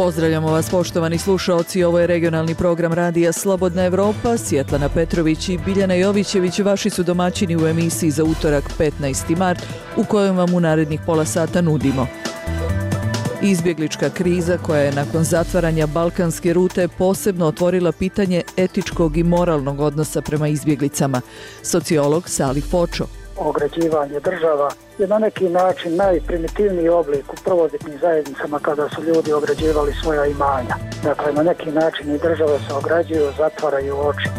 Pozdravljamo vas poštovani slušaoci, ovo je regionalni program radija Slobodna Evropa. Svjetlana Petrović i Biljana Jovićević vaši su domaćini u emisiji za utorak 15. mart u kojoj vam u narednih pola sata nudimo. Izbjeglička kriza koja je nakon zatvaranja balkanske rute posebno otvorila pitanje etičkog i moralnog odnosa prema izbjeglicama. Sociolog Salih Fočo. Ograđivanje država je na neki način najprimitivniji oblik u prvobitnim zajednicama kada su ljudi ograđivali svoja imanja. Dakle, na neki način i države se ograđuju, zatvaraju oči.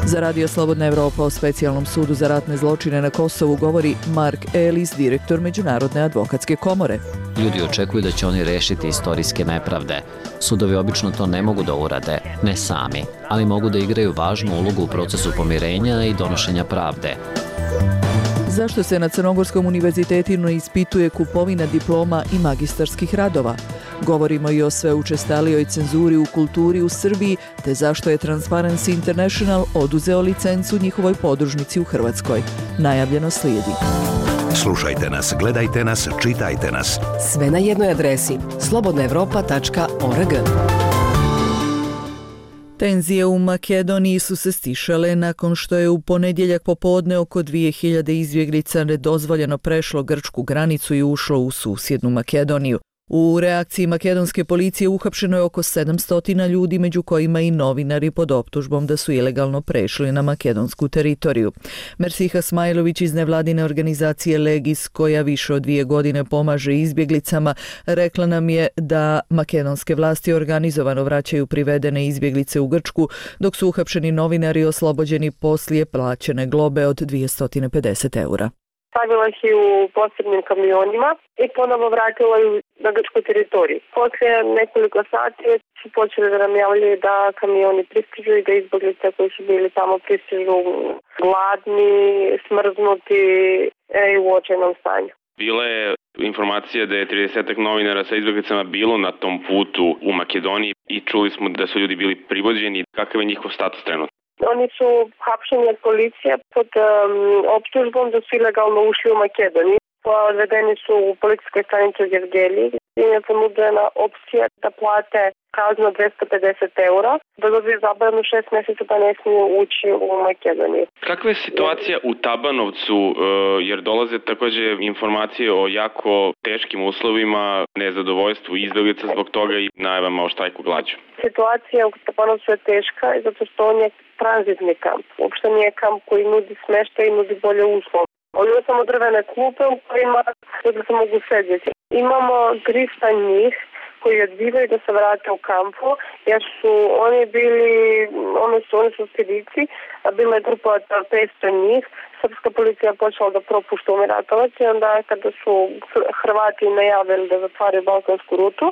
Za Radio Slobodna Evropa o specijalnom sudu za ratne zločine na Kosovu govori Mark Ellis, direktor Međunarodne advokatske komore. Ljudi očekuju da će oni rešiti istorijske nepravde. Sudovi obično to ne mogu da urade, ne sami, ali mogu da igraju važnu ulogu u procesu pomirenja i donošenja pravde. Zašto se na Crnogorskom univerzitetu ispituje kupovina diploma i magistarskih radova? Govorimo i o sve učestalijoj cenzuri u kulturi u Srbiji, te zašto je Transparency International oduzeo licencu njihovoj podružnici u Hrvatskoj. Najavljeno slijedi. Slušajte nas, gledajte nas, čitajte nas. Sve na jednoj adresi slobodnaevropa.org. Tenzije u Makedoniji su se stišale nakon što je u ponedjeljak popodne oko 2000 izbjeglica nedozvoljeno prešlo grčku granicu i ušlo u susjednu Makedoniju. U reakciji makedonske policije uhapšeno je oko 700 ljudi, među kojima i novinari pod optužbom da su ilegalno prešli na makedonsku teritoriju. Mersiha Smajlović iz nevladine organizacije Legis, koja više od 2 godine pomaže izbjeglicama, rekla nam je da makedonske vlasti organizovano vraćaju privedene izbjeglice u Grčku, dok su uhapšeni novinari oslobođeni poslije plaćene globe od 250 eura. Stavila ih u posebnim kamionima i ponovo vratila ih na grčku teritoriju. Poslije nekoliko sati su počeli da nam javljaju da kamioni pristižu i da izbjeglice koji su bili tamo pristižu gladni, smrznuti i u očajnom stanju. Bila je informacija da je 30 novinara sa izbjeglicama bilo na tom putu u Makedoniji i čuli smo da su ljudi bili privođeni. Kakav je njihov status trenutno? Oni su hapšeni od policije pod optužbom da su ilegalno ušli u Makedoniju. Odvedeni su u policijskoj stanici u Gevgeliji. Im je ponuđena opcija da plate kaznu 250 eura, da dobiju zabranu 6 mjeseca da ne smiju ući u Makedoniju. Kakva je situacija u Tabanovcu, jer dolaze također informacije o jako teškim uslovima, nezadovoljstvu izbjeglica zbog toga i najavama o štrajku glađu? Situacija u Tabanovcu je teška zato što on je tranzitni kamp. Uopšte nije kamp koji nudi smještaj i nudi bolje uslove. On ima samo drvene klupe u kojima ljudi se mogu sedjeti. Imamo 300 njih koji odbivaju da se vrate u kampu, jer su oni su spedici, a bila je grupa od 500 njih. Srpska policija je počela da propušta umiratovac i onda kada su Hrvati najavili da zatvaraju balkansku rutu,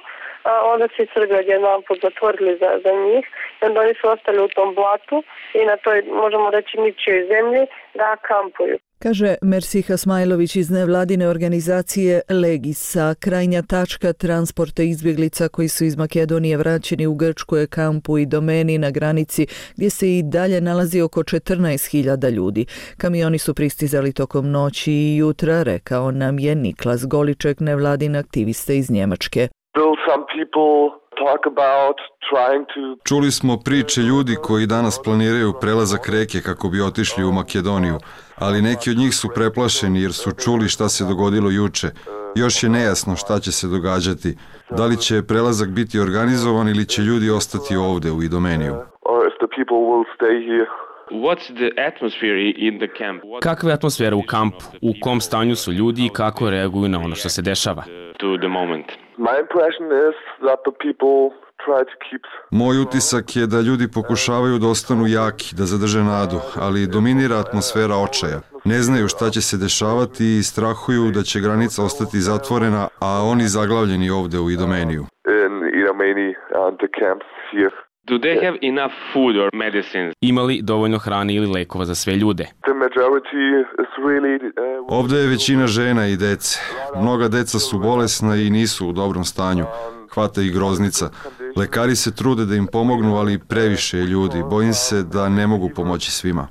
onda su i Srbi odjednom zatvorili za njih i onda oni su ostali u tom blatu i na toj, možemo reći, ničijoj zemlji da kampuju. Kaže Mersiha Smajlović iz nevladine organizacije Legisa. Krajnja tačka transporta izbjeglica koji su iz Makedonije vraćeni u Grčku je kampu i domeni na granici gdje se i dalje nalazi oko 14.000 ljudi. Kamioni su pristizali tokom noći i jutra, rekao nam je Niklas Goliček, nevladin aktivista iz Njemačke. Čuli smo priče ljudi koji danas planiraju prelazak reke kako bi otišli u Makedoniju, ali neki od njih su preplašeni jer su čuli šta se dogodilo juče. Još je nejasno šta će se događati. Da li će prelazak biti organizovan ili će ljudi ostati ovdje u Idomeniju. Kakva je atmosfera u kampu? U kom stanju su ljudi i kako reaguju na ono što se dešava? Moj utisak je da ljudi pokušavaju da ostanu jaki, da zadrže nadu, ali dominira atmosfera očaja. Ne znaju šta će se dešavati i strahuju da će granica ostati zatvorena, a oni zaglavljeni ovdje u Idomeniju. Do they have enough food or medicines? Ima li dovoljno hrane ili lekova za sve ljude? Ovdje je većina žena i dece. Mnoga deca su bolesna i nisu u dobrom stanju. Hvata ih groznica. Lekari se trude da im pomognu, ali previše je ljudi. Bojim se da ne mogu pomoći svima.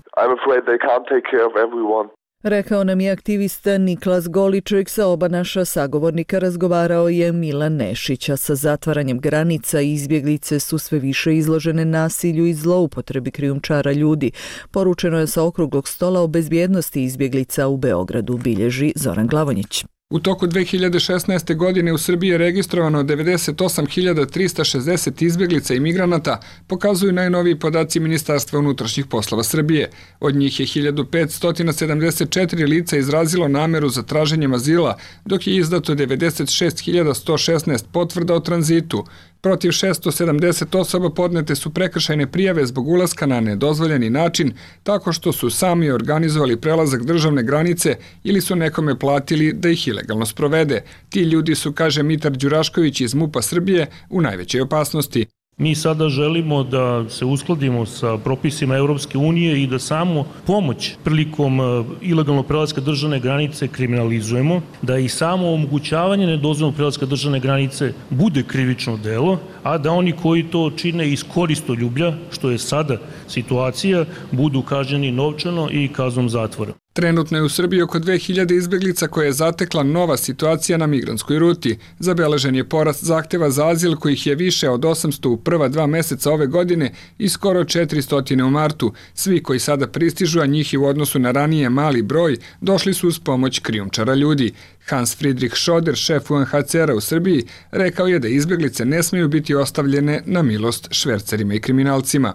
Rekao nam je aktivista Niklas Goliček. Sa oba naša sagovornika razgovarao je Milan Nešić, a sa zatvaranjem granica izbjeglice su sve više izložene nasilju i zloupotrebi krijumčara ljudi. Poručeno je sa okruglog stola o bezbjednosti izbjeglica u Beogradu, bilježi Zoran Glavonjić. U toku 2016. godine u Srbiji je registrovano 98.360 izbjeglica i migranata, pokazuju najnoviji podaci Ministarstva unutrašnjih poslova Srbije. Od njih je 1574 lica izrazilo nameru za traženjem azila, dok je izdato 96.116 potvrda o tranzitu. Protiv 670 osoba podnete su prekršajne prijave zbog ulaska na nedozvoljeni način, tako što su sami organizovali prelazak državne granice ili su nekome platili da ih ilegalno sprovede. Ti ljudi su, kaže Mitar Đurašković iz MUP-a Srbije, u najvećoj opasnosti. Mi sada želimo da se uskladimo sa propisima Europske unije i da samo pomoć prilikom ilegalnog prelaska državne granice kriminalizujemo, da i samo omogućavanje nedozvoljenog prelaska državne granice bude krivično delo, a da oni koji to čine iz koristoljublja, što je sada situacija, budu kažnjeni novčano i kaznom zatvora. Trenutno je u Srbiji oko 2000 izbjeglica koje je zatekla nova situacija na migrantskoj ruti. Zabeležen je porast zahteva za azil kojih je više od 800 u prva 2 meseca ove godine i skoro 400 u martu. Svi koji sada pristižu, a njih je u odnosu na ranije mali broj, došli su uz pomoć krijumčara ljudi. Hans Friedrich Schoder, šef UNHCR-a u Srbiji, rekao je da izbjeglice ne smiju biti ostavljene na milost švercerima i kriminalcima.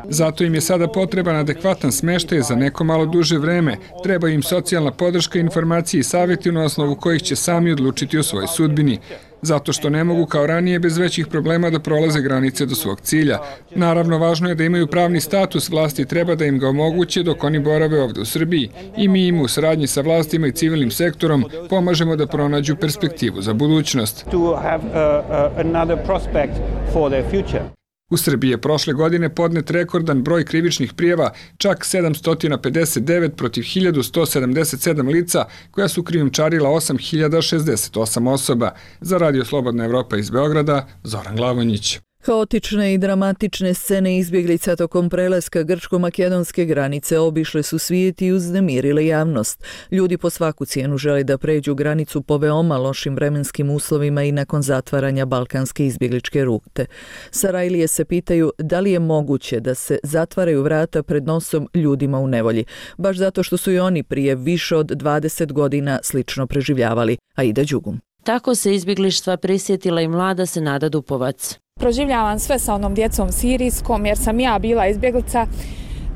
Zato im je sada potreban adekvatan smeštaj za neko malo duže vreme. Treba im socijalna podrška, informacije i savjeti na osnovu kojih će sami odlučiti o svojoj sudbini. Zato što ne mogu kao ranije bez većih problema da prolaze granice do svog cilja. Naravno, važno je da imaju pravni status, vlasti treba da im ga omoguće dok oni borave ovdje u Srbiji. I mi im u saradnji sa vlastima i civilnim sektorom pomažemo da pronađu perspektivu za budućnost. U Srbiji je prošle godine podnet rekordan broj krivičnih prijava, čak 759 protiv 1177 lica koja su krijumčarila 8068 osoba. Za Radio Slobodna Evropa iz Beograda, Zoran Glavonjić. Haotične i dramatične scene izbjeglica tokom prelaska grčko-makedonske granice obišle su svijet i uznemirile javnost. Ljudi po svaku cijenu žele da pređu granicu po veoma lošim vremenskim uslovima i nakon zatvaranja balkanske izbjegličke rute. Sarajlije se pitaju da li je moguće da se zatvaraju vrata pred nosom ljudima u nevolji, baš zato što su i oni prije više od 20 godina slično preživljavali. Aida Đugum. Tako se izbjeglištva prisjetila i mlada Senada Dupovac. Proživljavam sve sa onom djecom sirijskom jer sam ja bila izbjeglica.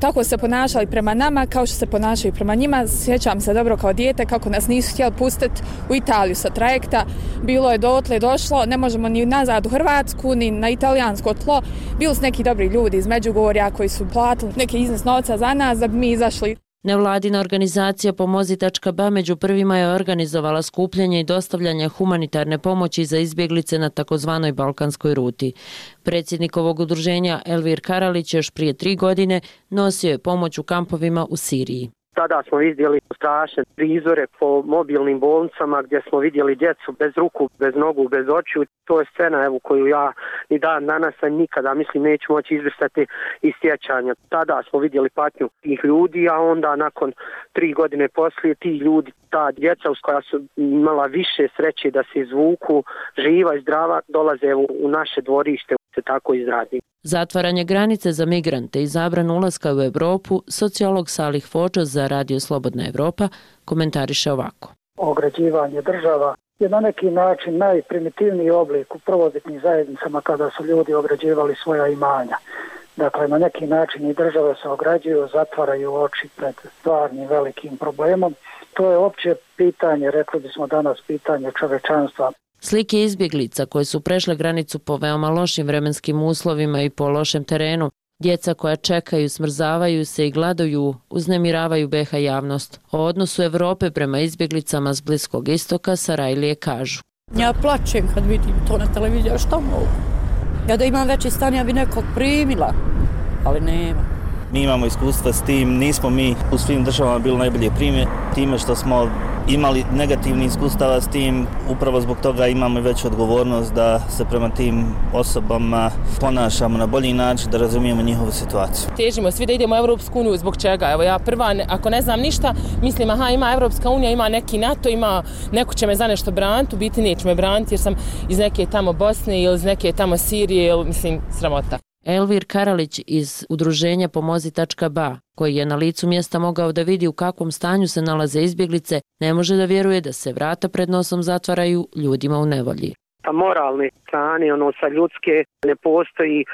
Tako se ponašali prema nama kao što se ponašaju prema njima. Sjećam se dobro kao dijete kako nas nisu htjeli pustiti u Italiju sa trajekta. Bilo je dotle došlo, ne možemo ni nazad u Hrvatsku, ni na italijansko tlo. Bili su neki dobri ljudi iz Međugorja koji su platili neki iznos novca za nas da bi mi izašli. Nevladina organizacija Pomozi.ba među prvima je organizovala skupljanje i dostavljanje humanitarne pomoći za izbjeglice na takozvanoj balkanskoj ruti. Predsjednik ovog udruženja Elvir Karalić još prije 3 godine nosio je pomoć u kampovima u Siriji. Tada smo vidjeli strašne prizore po mobilnim bolnicama gdje smo vidjeli djecu bez ruku, bez nogu, bez očiju. To je scena koju ja ni dan danas nikada neću moći izbrisati iz sjećanja. Tada smo vidjeli patnju tih ljudi, a onda nakon 3 godine poslije ti ljudi, ta djeca uz koja su imala više sreće da se izvuku, živa i zdrava, dolaze u naše dvorište, se tako izradi. Zatvaranje granice za migrante i zabranu ulaska u Europu, sociolog Salih Fočo za Radio Slobodna Evropa komentariše ovako. Ograđivanje država je na neki način najprimitivniji oblik u prvobitnim zajednicama kada su ljudi ograđivali svoja imanja. Dakle, na neki način i države se ograđuju, zatvaraju oči pred stvarnim velikim problemom. To je opće pitanje, rekli bismo danas, pitanje čovečanstva. Slike izbjeglica koje su prešle granicu po veoma lošim vremenskim uslovima i po lošem terenu, djeca koja čekaju, smrzavaju se i gladuju, uznemiravaju BiH javnost. O odnosu Evrope prema izbjeglicama s Bliskog istoka Sarajlije kažu. Ja plačem kad vidim to na televiziji, a šta mogu? Ja da imam veći stan, ja bi nekog primila, ali nema. Mi imamo iskustva s tim, nismo mi u svim državama bili najbolje primjer, time što smo imali negativnih iskustava s tim, upravo zbog toga imamo veću odgovornost da se prema tim osobama ponašamo na bolji način, da razumijemo njihovu situaciju. Težimo svi da idemo u Europsku uniju, zbog čega? Evo ja prva, ako ne znam ništa, mislim ima Europska unija, ima neki NATO, ima neko će me za nešto braniti, u biti neće me braniti jer sam iz neke tamo Bosne ili iz neke tamo Sirije, ili mislim sramota. Elvir Karalić iz udruženja Pomozi.ba, koji je na licu mjesta mogao da vidi u kakvom stanju se nalaze izbjeglice, ne može da vjeruje da se vrata pred nosom zatvaraju ljudima u nevolji. Sa moralne strane, sa ljudske, ne postoji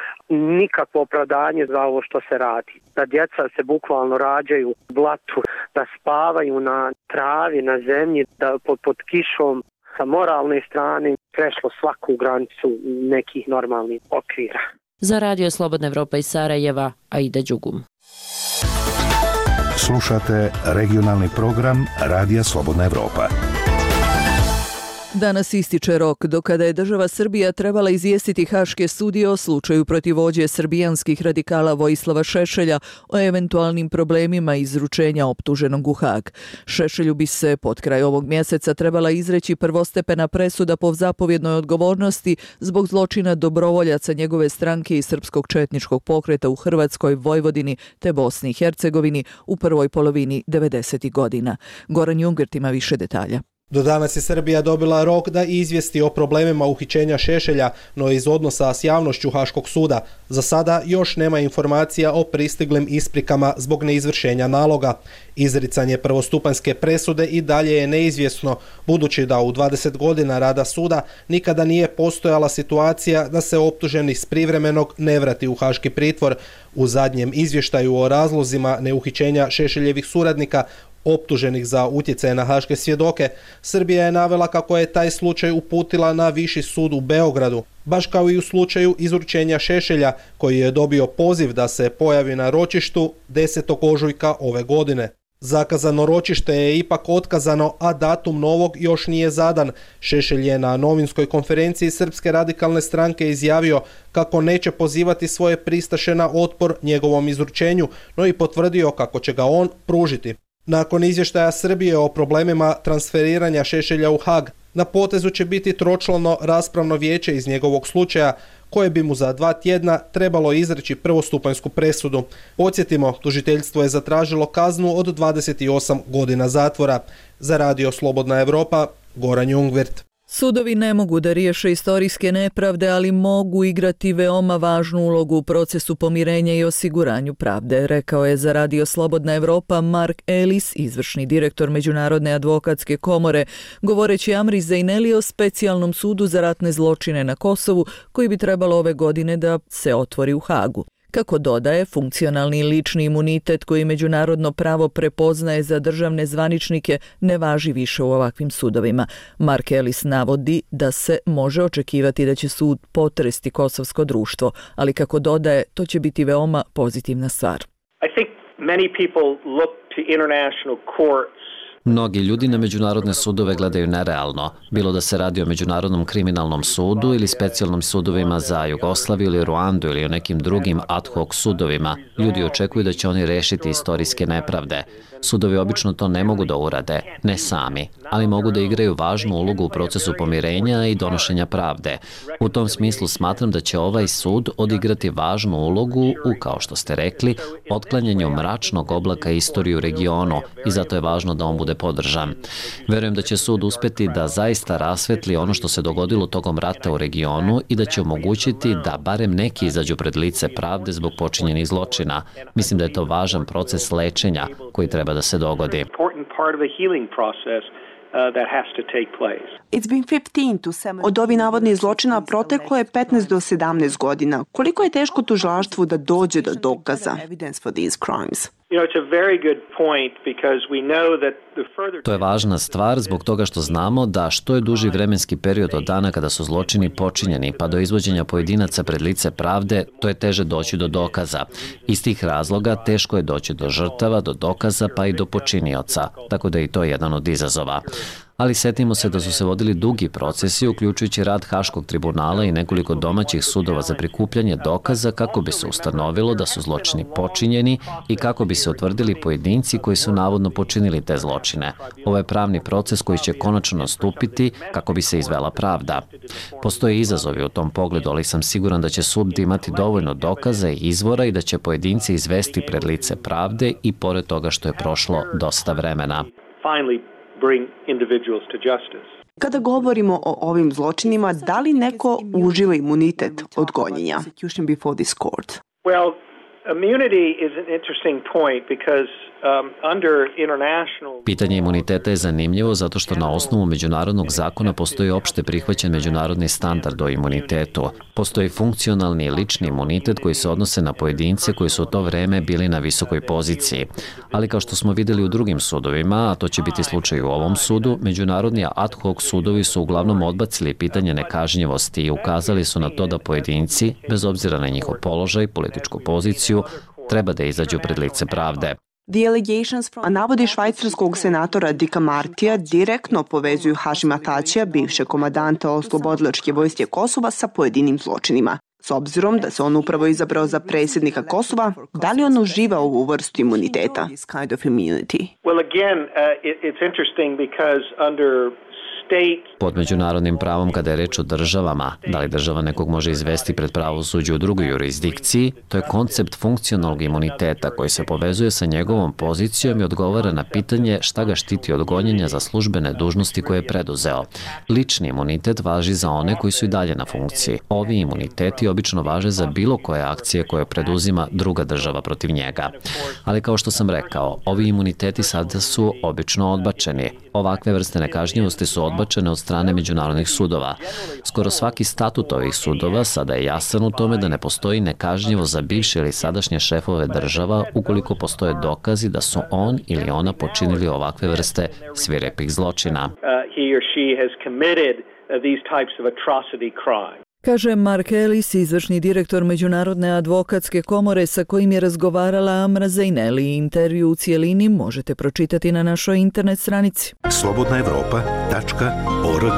nikakvo opravdanje za ovo što se radi. Da djeca se bukvalno rađaju u blatu, da spavaju na travi, na zemlji, da pod kišom. Sa moralne strane prešlo svaku granicu nekih normalnih okvira. Za Radio Slobodna Evropa iz Sarajeva, Aida Đugum. Slušate regionalni program Radija Slobodna Evropa. Danas ističe rok do kada je država Srbija trebala izvijestiti Haške sudije o slučaju protiv vođe srbijanskih radikala Vojislava Šešelja o eventualnim problemima izručenja optuženog u Hag. Šešelju bi se pod kraj ovog mjeseca trebala izreći prvostepena presuda po zapovjednoj odgovornosti zbog zločina dobrovoljaca njegove stranke i srpskog četničkog pokreta u Hrvatskoj, Vojvodini te Bosni i Hercegovini u prvoj polovini 90. godina. Goran Jungert ima više detalja. Do danas je Srbija dobila rok da izvijesti o problemima uhićenja Šešelja, no iz odnosa s javnošću Haškog suda. Za sada još nema informacija o pristiglim isprikama zbog neizvršenja naloga. Izricanje prvostupanjske presude i dalje je neizvjesno, budući da u 20 godina rada suda nikada nije postojala situacija da se optuženi s privremenog ne vrati u haški pritvor. U zadnjem izvještaju o razlozima neuhićenja Šešeljevih suradnika optuženih za utjecaj na haške svjedoke, Srbija je navela kako je taj slučaj uputila na Viši sud u Beogradu, baš kao i u slučaju izručenja Šešelja, koji je dobio poziv da se pojavi na ročištu 10. ožujka ove godine. Zakazano ročište je ipak otkazano, a datum novog još nije zadan. Šešelj je na novinskoj konferenciji Srpske radikalne stranke izjavio kako neće pozivati svoje pristaše na otpor njegovom izručenju, no i potvrdio kako će ga on pružiti. Nakon izvještaja Srbije o problemima transferiranja Šešelja u Hag, na potezu će biti tročlano raspravno vijeće iz njegovog slučaja, koje bi mu za 2 tjedna trebalo izreći prvostupanjsku presudu. Podsjetimo, tužiteljstvo je zatražilo kaznu od 28 godina zatvora. Za Radio Slobodna Evropa, Goran Jungwirth. Sudovi ne mogu da riješe istorijske nepravde, ali mogu igrati veoma važnu ulogu u procesu pomirenja i osiguranju pravde, rekao je za Radio Slobodna Evropa Mark Ellis, izvršni direktor Međunarodne advokatske komore, govoreći Amri Zejneli o specijalnom sudu za ratne zločine na Kosovu, koji bi trebalo ove godine da se otvori u Hagu. Kako dodaje, funkcionalni lični imunitet koji međunarodno pravo prepoznaje za državne zvaničnike ne važi više u ovakvim sudovima. Mark Ellis navodi da se može očekivati da će sud potresti kosovsko društvo, ali kako dodaje, to će biti veoma pozitivna stvar. I think many people look to international courts. Mnogi ljudi na međunarodne sudove gledaju nerealno, bilo da se radi o Međunarodnom kriminalnom sudu ili specijalnim sudovima za Jugoslaviju ili Ruandu ili o nekim drugim ad hoc sudovima. Ljudi očekuju da će oni rešiti istorijske nepravde. Sudovi obično to ne mogu da urade, ne sami, ali mogu da igraju važnu ulogu u procesu pomirenja i donošenja pravde. U tom smislu smatram da će ovaj sud odigrati važnu ulogu u, kao što ste rekli, otklanjanju mračnog oblaka istorije u regionu i zato je važno da on bude podržan. Verujem da će sud uspeti da zaista rasvetli ono što se dogodilo tokom rata u regionu i da će omogućiti da barem neki izađu pred lice pravde zbog počinjenih zločina. Mislim da je to važan proces lečenja koji treba da se dogodi. Od ovih navodnih zločina proteklo je 15 do 17 godina. Koliko je teško tužilaštvu da dođe do dokaza? To je važna stvar zbog toga što znamo da što je duži vremenski period od dana kada su zločini počinjeni pa do izvođenja pojedinaca pred lice pravde, to je teže doći do dokaza. Iz tih razloga teško je doći do žrtava, do dokaza pa i do počinioca, tako da je i to jedan od izazova. Ali setimo se da su se vodili dugi procesi, uključujući rad Haškog tribunala i nekoliko domaćih sudova za prikupljanje dokaza kako bi se ustanovilo da su zločini počinjeni i kako bi se utvrdili pojedinci koji su navodno počinili te zločine. Ovo je pravni proces koji će konačno nastupiti kako bi se izvela pravda. Postoje izazovi u tom pogledu, ali sam siguran da će sud imati dovoljno dokaza i izvora i da će pojedinci izvesti pred lice pravde i pored toga što je prošlo dosta vremena. Kada govorimo o ovim zločinima, da li neko uživa imunitet od gonjenja? Immunity is an interesting point because Pitanje imuniteta je zanimljivo zato što na osnovu međunarodnog zakona postoji opšte prihvaćen međunarodni standard o imunitetu. Postoji funkcionalni i lični imunitet koji se odnose na pojedince koji su u to vreme bili na visokoj poziciji. Ali kao što smo videli u drugim sudovima, a to će biti slučaj u ovom sudu, međunarodni ad hoc sudovi su uglavnom odbacili pitanje nekažnjivosti i ukazali su na to da pojedinci, bez obzira na njihov položaj, političku poziciju, treba da izađu pred lice pravde. A navodi švajcarskog senatora Dicka Martija direktno povezuju Hašima Tačija, bivšeg komadanta Oslobodilačke vojske Kosova, sa pojedinim zločinima. S obzirom da se on upravo izabrao za predsjednika Kosova, da li on uživa ovu vrstu imuniteta? Pod međunarodnim pravom, kada je reč o državama, da li država nekog može izvesti pred pravosuđe u drugoj jurisdikciji, to je koncept funkcionalnog imuniteta koji se povezuje sa njegovom pozicijom i odgovara na pitanje šta ga štiti od gonjenja za službene dužnosti koje je preduzeo. Lični imunitet važi za one koji su i dalje na funkciji. Ovi imuniteti obično važe za bilo koje akcije koje preduzima druga država protiv njega. Ali kao što sam rekao, ovi imuniteti sada su obično odbačeni. Ovakve vrste nekažnjivosti su odbačene od strane međunarodnih sudova. Skoro svaki statut ovih sudova sada je jasan u tome da ne postoji nekažnjivost za bivše ili sadašnje šefove država ukoliko postoje dokazi da su on ili ona počinili ovakve vrste svirepih zločina. Kaže Mark Ellis, izvršni direktor Međunarodne advokatske komore sa kojim je razgovarala Amra Zaineli. Intervju u cijelini možete pročitati na našoj internet stranici. slobodnaevropa.org.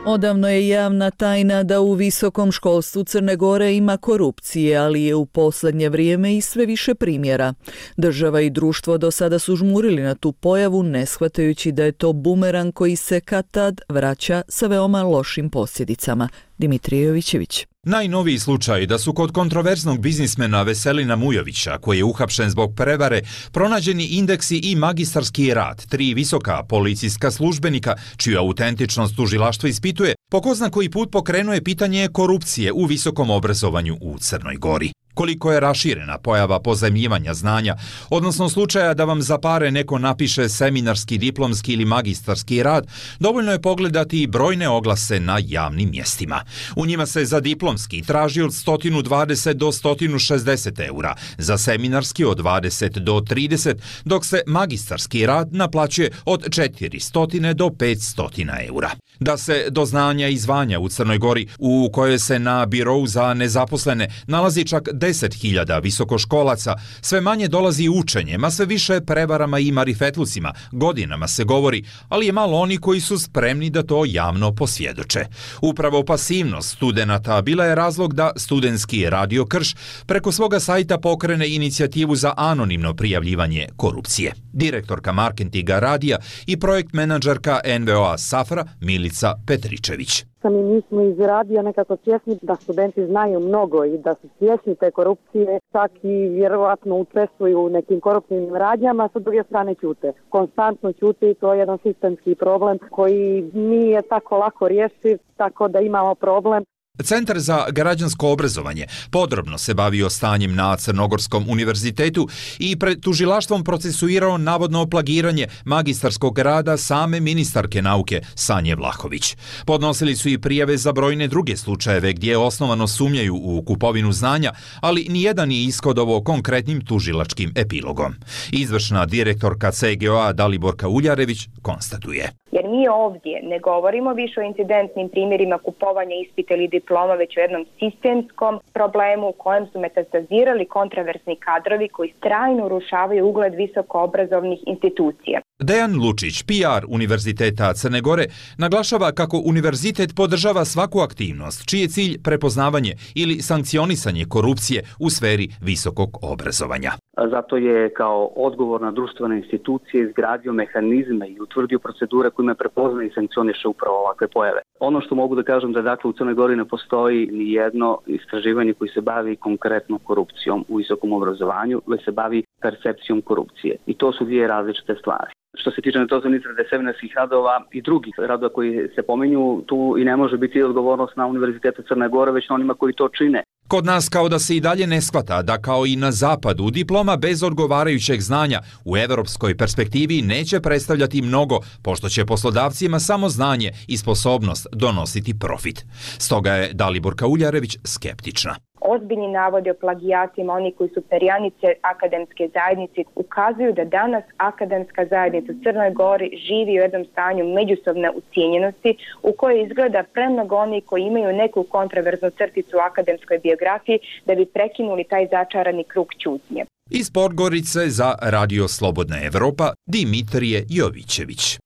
Odavno je javna tajna da u visokom školstvu Crne Gore ima korupcije, ali je u posljednje vrijeme i sve više primjera. Država i društvo do sada su žmurili na tu pojavu, ne shvatajući da je to bumerang koji se kad tad vraća sa veoma lošim posljedicama. Dimitrije Jovićević. Najnoviji slučaj da su kod kontroverznog biznismena Veselina Mujovića, koji je uhapšen zbog prevare, pronađeni indeksi i magistarski rad 3 visoka policijska službenika, čiju autentičnost tužilaštvo ispituje, po ko zna koji put pokrenuje pitanje korupcije u visokom obrazovanju u Crnoj Gori. Koliko je raširena pojava pozajmljivanja znanja, odnosno slučaja da vam za pare neko napiše seminarski, diplomski ili magistarski rad, dovoljno je pogledati i brojne oglase na javnim mjestima. U njima se za diplomski traži od 120 do 160 eura, za seminarski od 20 do 30, dok se magistarski rad naplaćuje od 400 do 500 eura. Da se do znanja i zvanja u Crnoj Gori, u kojoj se na birou za nezaposlene nalazi čak 10.000 visokoškolaca, sve manje dolazi učenjem, a sve više prevarama i marifetlucima, godinama se govori, ali je malo oni koji su spremni da to javno posvjedoče. Upravo pasivnost studenata bila je razlog da studentski radio Krš preko svoga sajta pokrene inicijativu za anonimno prijavljivanje korupcije. Direktorka marketinga radija i projekt menadžerka NVO-a Safra Milica Petričević. Mi smo iz radija nekako svjesni da studenti znaju mnogo i da su svjesni te korupcije, čak i vjerovatno učestvuju u nekim koruptivnim radnjama, sa druge strane ćute. Konstantno ćute i to je jedan sistemski problem koji nije tako lako rješiv, tako da imamo problem. Centar za građansko obrazovanje podrobno se bavio stanjem na Crnogorskom univerzitetu i pred tužilaštvom procesuirao navodno plagiranje magistarskog rada same ministarke nauke Sanje Vlahović. Podnosili su i prijave za brojne druge slučajeve gdje osnovano sumnjaju u kupovinu znanja, ali nijedan nije ishodovao konkretnim tužilačkim epilogom. Izvršna direktorka CGO-a Daliborka Uljarević konstatuje. Jer mi ovdje ne govorimo više o incidentnim primjerima kupovanja ispita ili diploma, već o jednom sistemskom problemu u kojem su metastazirali kontraversni kadrovi koji trajno urušavaju ugled visokoobrazovnih institucija. Dejan Lučić, PR Univerziteta Crne Gore, naglašava kako univerzitet podržava svaku aktivnost čiji je cilj prepoznavanje ili sankcionisanje korupcije u sferi visokog obrazovanja. Zato je kao odgovorna društvena institucija izgradio mehanizme i utvrdio procedure kojima prepozna i sankcioniše upravo ovakve pojave. Ono što mogu da kažem da dakle u Crnoj Gori ne postoji ni jedno istraživanje koji se bavi konkretno korupcijom u visokom obrazovanju, već se bavi percepcijom korupcije. I to su dvije različite stvari. Što se tiče nedostajućih seminarskih radova i drugih radova koji se pominju, tu i ne može biti odgovornost na Univerzitetu Crne Gore, već na onima koji to čine. Kod nas kao da se i dalje ne shvata da kao i na zapadu diploma bez odgovarajućeg znanja u evropskoj perspektivi neće predstavljati mnogo, pošto će poslodavcima samo znanje i sposobnost donositi profit. Stoga je Daliborka Uljarević skeptična. Ozbiljni navodi o plagijatima, oni koji su perjanice akademske zajednice, ukazuju da danas akademska zajednica u Crnoj Gori živi u jednom stanju međusobne ucijenjenosti u kojoj izgleda premnogo oni koji imaju neku kontraverznu crticu u akademskoj biografiji da bi prekinuli taj začarani krug ćutnje. Iz Podgorice za Radio Slobodna Evropa, Dimitrije Jovićević.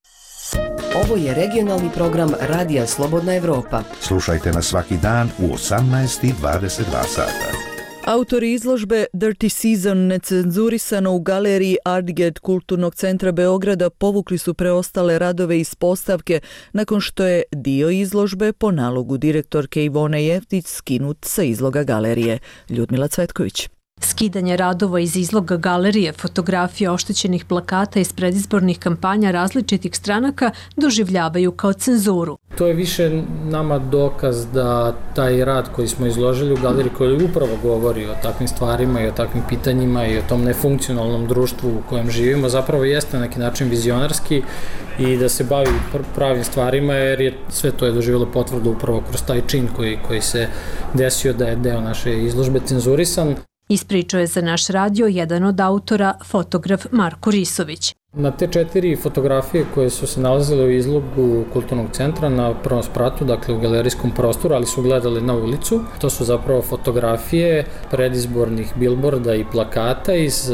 Ovo je regionalni program Radija Slobodna Evropa. Slušajte nas svaki dan u 18:22 sata. Autori izložbe Dirty Season necenzurisano u galeriji Artget Kulturnog centra Beograda povukli su preostale radove iz postavke nakon što je dio izložbe po nalogu direktorke Ivone Jeftić skinut sa izloga galerije. Ljudmila Cvetković. Skidanje radova iz izloga galerije, fotografija oštećenih plakata iz predizbornih kampanja različitih stranaka doživljavaju kao cenzuru. To je više nama dokaz da taj rad koji smo izložili u galeriji koji upravo govori o takvim stvarima i o takvim pitanjima i o tom nefunkcionalnom društvu u kojem živimo zapravo jeste na neki način vizionarski i da se bavi pravim stvarima jer je sve to je doživjelo potvrdu upravo kroz taj čin koji se desio da je deo naše izložbe cenzurisan. Ispričao je za naš radio jedan od autora, fotograf Marko Risović. Na te 4 fotografije koje su se nalazile u izlogu kulturnog centra na prvom spratu, dakle u galerijskom prostoru, ali su gledali na ulicu, to su zapravo fotografije predizbornih bilborda i plakata iz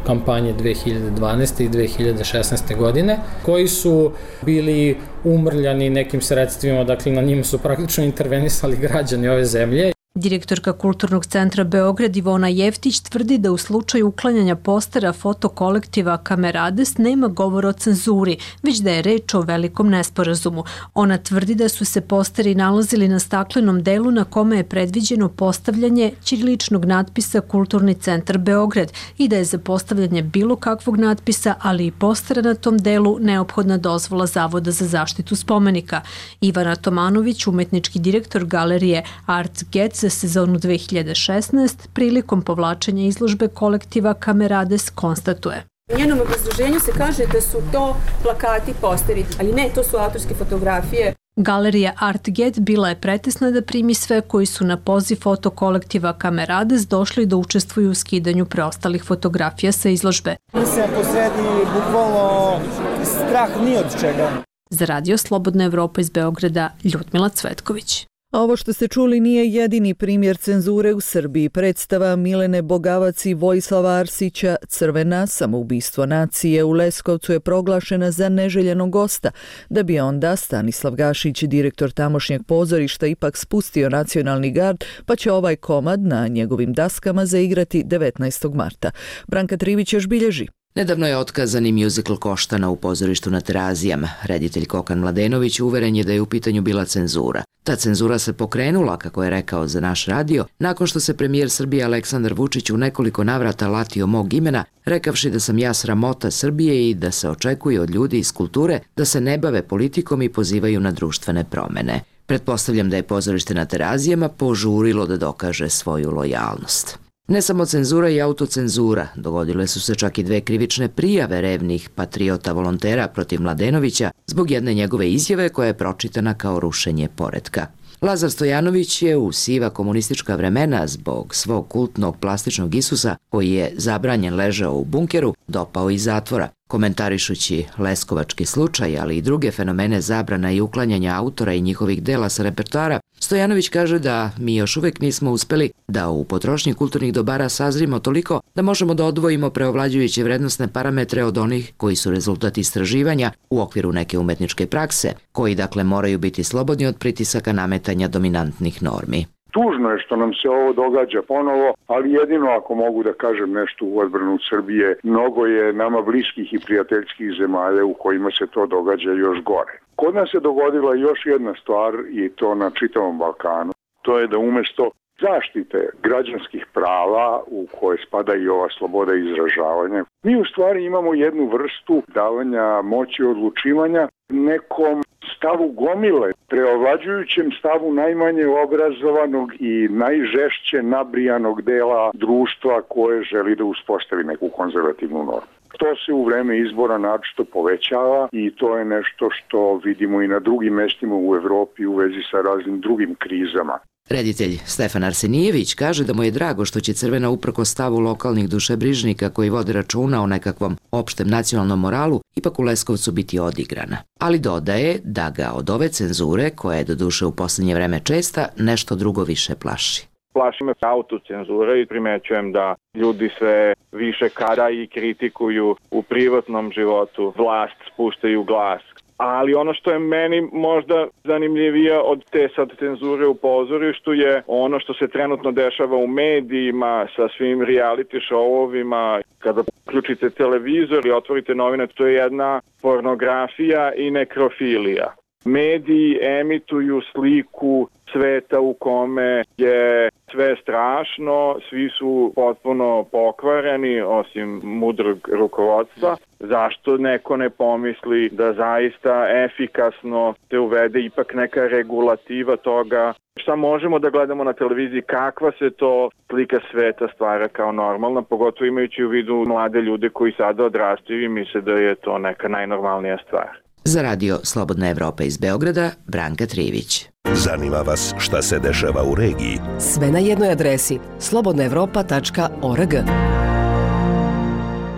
kampanje 2012. i 2016. godine, koji su bili umrljani nekim sredstvima, dakle na njima su praktično intervenisali građani ove zemlje. Direktorka Kulturnog centra Beograd Ivona Jeftić tvrdi da u slučaju uklanjanja postera fotokolektiva Kamerades nema govora o cenzuri, već da je reč o velikom nesporazumu. Ona tvrdi da su se posteri nalazili na staklenom delu na kome je predviđeno postavljanje ćiriličnog natpisa Kulturni centar Beograd i da je za postavljanje bilo kakvog natpisa, ali i postera na tom delu neophodna dozvola Zavoda za zaštitu spomenika. Ivana Tomanović, umetnički direktor galerije Artget za sezonu 2016, prilikom povlačenja izložbe kolektiva Kamerades konstatuje. U njenom obrazloženju se kaže da su to plakati, posteri, ali ne, to su autorske fotografije. Galerija Artget bila je pretesna da primi sve koji su na poziv fotokolektiva Kamerades došli da učestvuju u skidanju preostalih fotografija sa izložbe. Mislim, posredi bukvalno strah ni od čega. Za Radio Slobodna Evropa iz Beograda, Ljudmila Cvetković. Ovo što ste čuli nije jedini primjer cenzure u Srbiji. Predstava Milene Bogavac i Vojislava Arsića Crvena, samoubistvo nacije u Leskovcu je proglašena za neželjenog gosta, da bi onda Stanislav Gašić, direktor tamošnjeg pozorišta, ipak spustio nacionalni gard, pa će ovaj komad na njegovim daskama zaigrati 19. marta. Branka Trivić još bilježi. Nedavno je otkazani mjuzikl Koštana u pozorištu na Terazijama. Reditelj Kokan Mladenović uveren je da je u pitanju bila cenzura. Ta cenzura se pokrenula, kako je rekao za naš radio, nakon što se premijer Srbije Aleksandar Vučić u nekoliko navrata latio mog imena, rekavši da sam ja sramota Srbije i da se očekuje od ljudi iz kulture da se ne bave politikom i pozivaju na društvene promene. Pretpostavljam da je pozorište na Terazijama požurilo da dokaže svoju lojalnost. Ne samo cenzura i autocenzura, dogodile su se čak i 2 krivične prijave revnih patriota volontera protiv Mladenovića zbog jedne njegove izjave koja je pročitana kao rušenje poretka. Lazar Stojanović je u siva komunistička vremena zbog svog kultnog plastičnog Isusa, koji je zabranjen ležao u bunkeru, dopao iz zatvora. Komentarišući leskovački slučaj, ali i druge fenomene zabrana i uklanjanja autora i njihovih dela sa repertoara, Stojanović kaže da mi još uvijek nismo uspeli da u potrošnji kulturnih dobara sazrimo toliko da možemo da odvojimo preovlađujuće vrednostne parametre od onih koji su rezultat istraživanja u okviru neke umetničke prakse, koji dakle moraju biti slobodni od pritisaka nametanja dominantnih normi. Tužno je što nam se ovo događa ponovo, ali jedino ako mogu da kažem nešto u odbranu Srbije, mnogo je nama bliskih i prijateljskih zemalja u kojima se to događa još gore. Kod nas se dogodila još jedna stvar i to na čitavom Balkanu. To je da umjesto zaštite građanskih prava u koje spada i ova sloboda izražavanja, mi u stvari imamo jednu vrstu davanja moći odlučivanja nekom stavu gomile, preovlađujućem stavu najmanje obrazovanog i najžešće nabrijanog dela društva koje želi da uspostavi neku konzervativnu normu. To se u vreme izbora naročito povećava i to je nešto što vidimo i na drugim mestima u Evropi u vezi sa raznim drugim krizama. Reditelj Stefan Arsenijević kaže da mu je drago što će Crvena uprkos stavu lokalnih dušebrižnika koji vode računa o nekakvom opštem nacionalnom moralu ipak u Leskovcu biti odigrana. Ali dodaje da ga od ove cenzure, koja je doduše u posljednje vreme česta, nešto drugo više plaši. Plaši me autocenzura i primećujem da ljudi sve više kada i kritikuju u privatnom životu, vlast spuštaju glas. Ali ono što je meni možda zanimljivije od te sad cenzure u pozorištu je ono što se trenutno dešava u medijima sa svim reality showovima. Kada uključite televizor i otvorite novine, to je jedna pornografija i nekrofilija. Mediji emituju sliku sveta u kome je sve strašno, svi su potpuno pokvareni osim mudrog rukovodstva. Zašto neko ne pomisli da zaista efikasno se uvede ipak neka regulativa toga? Šta možemo da gledamo na televiziji, kakva se to slika sveta stvara kao normalna, pogotovo imajući u vidu mlade ljude koji sada odrastaju i misle da je to neka najnormalnija stvar. Za radio Slobodna Evropa iz Beograda, Branka Trivić. Zanima vas šta se dešava u regiji? Sve na jednoj adresi slobodnaevropa.org.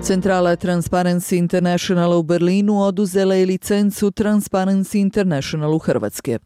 Centrala Transparency International u Berlinu oduzela je licencu Transparency International u Hrvatske.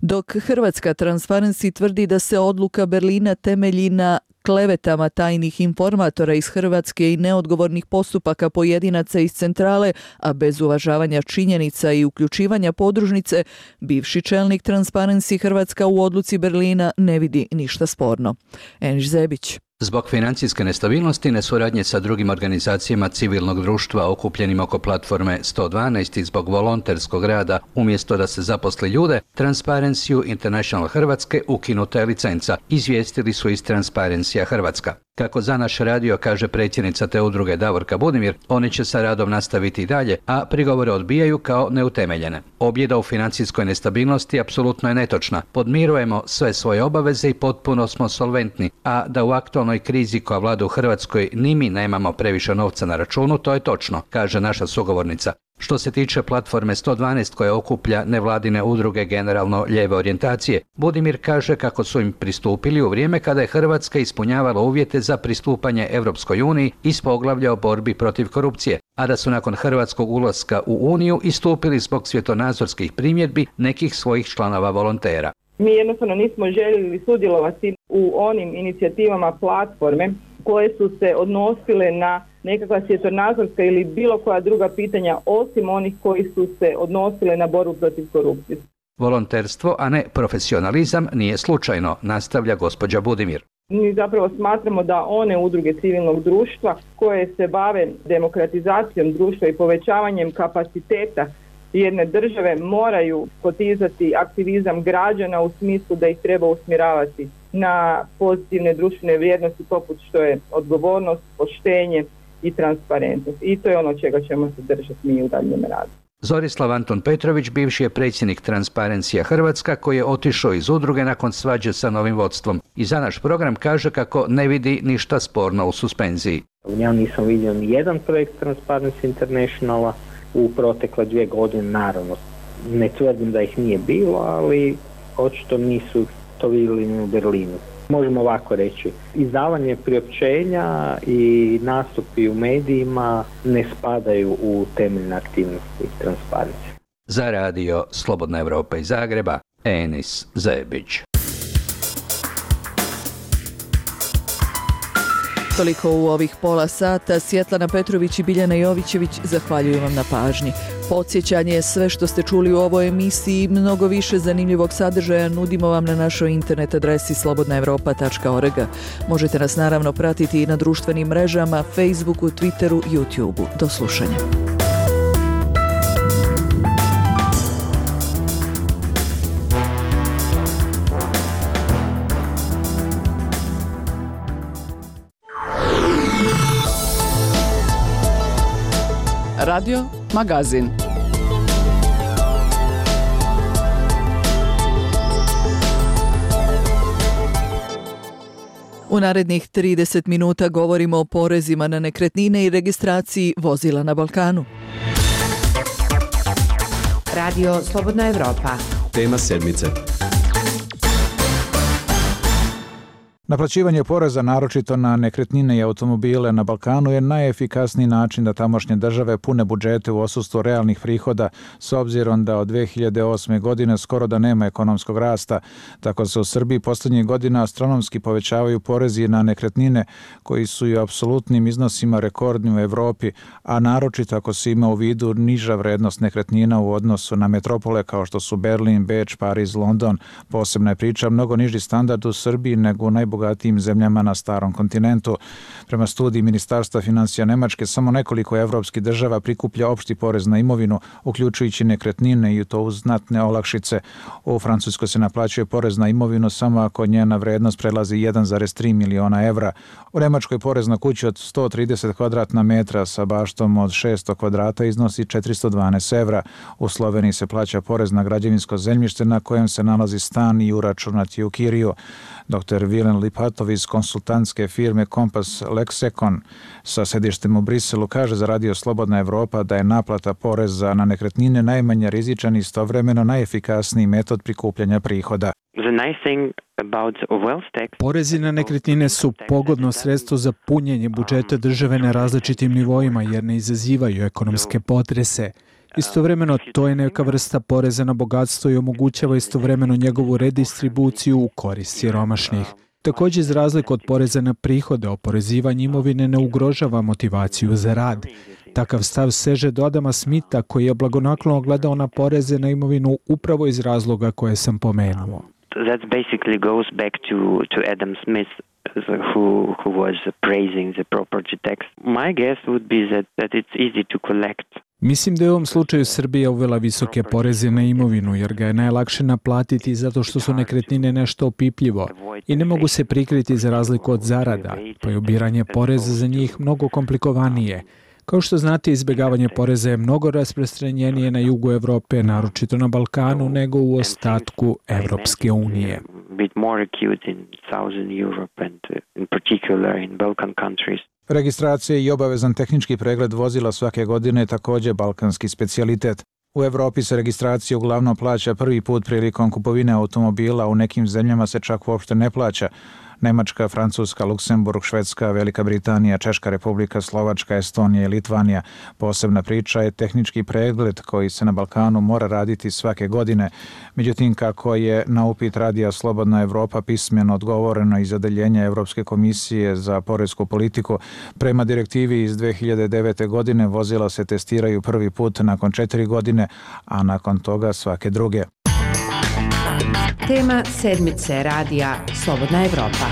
Dok Hrvatska Transparency tvrdi da se odluka Berlina temelji na klevetama tajnih informatora iz Hrvatske i neodgovornih postupaka pojedinaca iz centrale, a bez uvažavanja činjenica i uključivanja podružnice, bivši čelnik Transparency Hrvatska u odluci Berlina ne vidi ništa sporno. Eniš Zebić. Zbog financijske nestabilnosti, nesuradnje sa drugim organizacijama civilnog društva okupljenim oko platforme 112 i zbog volonterskog rada umjesto da se zaposli ljude, Transparency International Hrvatske ukinuta je licenca, izvijestili su iz Transparency Hrvatska. Kako za naš radio kaže predsjednica te udruge Davorka Budimir, oni će sa radom nastaviti i dalje, a prigovore odbijaju kao neutemeljene. Objeda u financijskoj nestabilnosti apsolutno je netočna. Podmirujemo sve svoje obaveze i potpuno smo solventni, a da u aktualnoj krizi koja vlada u Hrvatskoj ni mi nemamo previše novca na računu, to je točno, kaže naša sugovornica. Što se tiče platforme 112 koja okuplja nevladine udruge generalno lijeve orijentacije, Budimir kaže kako su im pristupili u vrijeme kada je Hrvatska ispunjavala uvjete za pristupanje Europskoj uniji iz poglavlja o borbi protiv korupcije, a da su nakon hrvatskog ulaska u Uniju istupili zbog svjetonazorskih primjedbi nekih svojih članova volontera. Mi jednostavno nismo željeli sudjelovati u onim inicijativama platforme koje su se odnosile na nekakva svjetonazorska ili bilo koja druga pitanja osim onih koji su se odnosile na borbu protiv korupcije. Volonterstvo, a ne profesionalizam, nije slučajno, nastavlja gospođa Budimir. Mi zapravo smatramo da one udruge civilnog društva koje se bave demokratizacijom društva i povećavanjem kapaciteta jedne države moraju potizati aktivizam građana u smislu da ih treba usmjeravati na pozitivne društvene vrijednosti poput što je odgovornost, poštenje i transparentnost. I to je ono čega ćemo se držati mi u daljem radu. Zorislav Anton Petrović, bivši je predsjednik Transparency Hrvatska koji je otišao iz udruge nakon svađe sa novim vodstvom i za naš program kaže kako ne vidi ništa sporno u suspenziji. Ja nisam vidio ni jedan projekt Transparency Internationala u protekle 2 godine, naravno. Ne tvrdim da ih nije bilo, ali očito nisu to vidjeli u Berlinu. Možemo ovako reći, izdavanje priopćenja i nastupi u medijima ne spadaju u temeljne aktivnosti transparencije. Za radio Slobodna Evropa iz Zagreba, Enis Zebić. Toliko u ovih pola sata. Svjetlana Petrović i Biljana Jovićević zahvaljuju vam na pažnji. Podsjećanje, sve što ste čuli u ovoj emisiji i mnogo više zanimljivog sadržaja nudimo vam na našoj internet adresi slobodnaevropa.org. Možete nas naravno pratiti i na društvenim mrežama, Facebooku, Twitteru, YouTubeu. Do slušanja. Radio Magazin. U narednih 30 minuta govorimo o porezima na nekretnine i registraciji vozila na Balkanu. Radio Slobodna Evropa. Tema sedmice. Naplaćivanje poreza, naročito na nekretnine i automobile na Balkanu, je najefikasniji način da tamošnje države pune budžete u odsustvu realnih prihoda, s obzirom da od 2008. godine skoro da nema ekonomskog rasta. Tako se u Srbiji posljednjih godina astronomski povećavaju porezi na nekretnine, koji su i u apsolutnim iznosima rekordni u Evropi, a naročito ako se ima u vidu niža vrednost nekretnina u odnosu na metropole kao što su Berlin, Beč, Pariz, London. Posebna je priča mnogo niži standard u Srbiji nego u najbogatijim zemljama na starom kontinentu. Prema studiji Ministarstva financija Nemačke, samo nekoliko evropskih država prikuplja opšti porez na imovinu, uključujući nekretnine, i to uz znatne olakšice. U Francuskoj se naplaćuje porez na imovinu samo ako njena vrednost prelazi 1,3 miliona evra. U Nemačkoj porez na kuću od 130 kvadratna metra sa baštom od 600 kvadrata iznosi 412 evra. U Sloveniji se plaća porez na građevinsko zemljište na kojem se nalazi stan i uračunat je u kiriju. Dr. Vilen Lipatov iz konsultantske firme Kompas Lexekon sa sedištem u Briselu kaže za Radio Slobodna Evropa da je naplata poreza na nekretnine najmanje rizičan i istovremeno najefikasniji metod prikupljanja prihoda. Porezi na nekretnine su pogodno sredstvo za punjenje budžeta države na različitim nivoima jer ne izazivaju ekonomske potrese. Istovremeno, to je neka vrsta poreza na bogatstvo i omogućava istovremeno njegovu redistribuciju u korist siromašnih. Također, za razliku od poreza na prihode, oporezivanje imovine ne ugrožava motivaciju za rad. Takav stav seže do Adama Smitha, koji je blagonaklono gledao na poreze na imovinu upravo iz razloga koje sam pomenuo. That basically goes back to Adam Smith, who was praising the property tax. My guess would be that it's easy to collect. Mislim da je u ovom slučaju Srbija uvela visoke poreze na imovinu jer ga je najlakše naplatiti zato što su nekretnine nešto opipljivo i ne mogu se prikriti za razliku od zarada, pa je ubiranje poreza za njih mnogo komplikovanije. Kao što znate, izbjegavanje poreza je mnogo rasprostranjenije na jugu Evrope, naročito na Balkanu, nego u ostatku Evropske unije. Registracija i obavezan tehnički pregled vozila svake godine je također balkanski specijalitet. U Evropi se registracija uglavnom plaća prvi put prilikom kupovine automobila, u nekim zemljama se čak uopšte ne plaća. Nemačka, Francuska, Luksemburg, Švedska, Velika Britanija, Češka Republika, Slovačka, Estonija i Litvanija. Posebna priča je tehnički pregled koji se na Balkanu mora raditi svake godine. Međutim, kako je na upit Radija Slobodna Evropa pismeno odgovoreno iz odeljenja Evropske komisije za poresku politiku, prema direktivi iz 2009. godine vozila se testiraju prvi put nakon 4 godine, a nakon toga svake druge. Tema sedmice Radija Slobodna Evropa.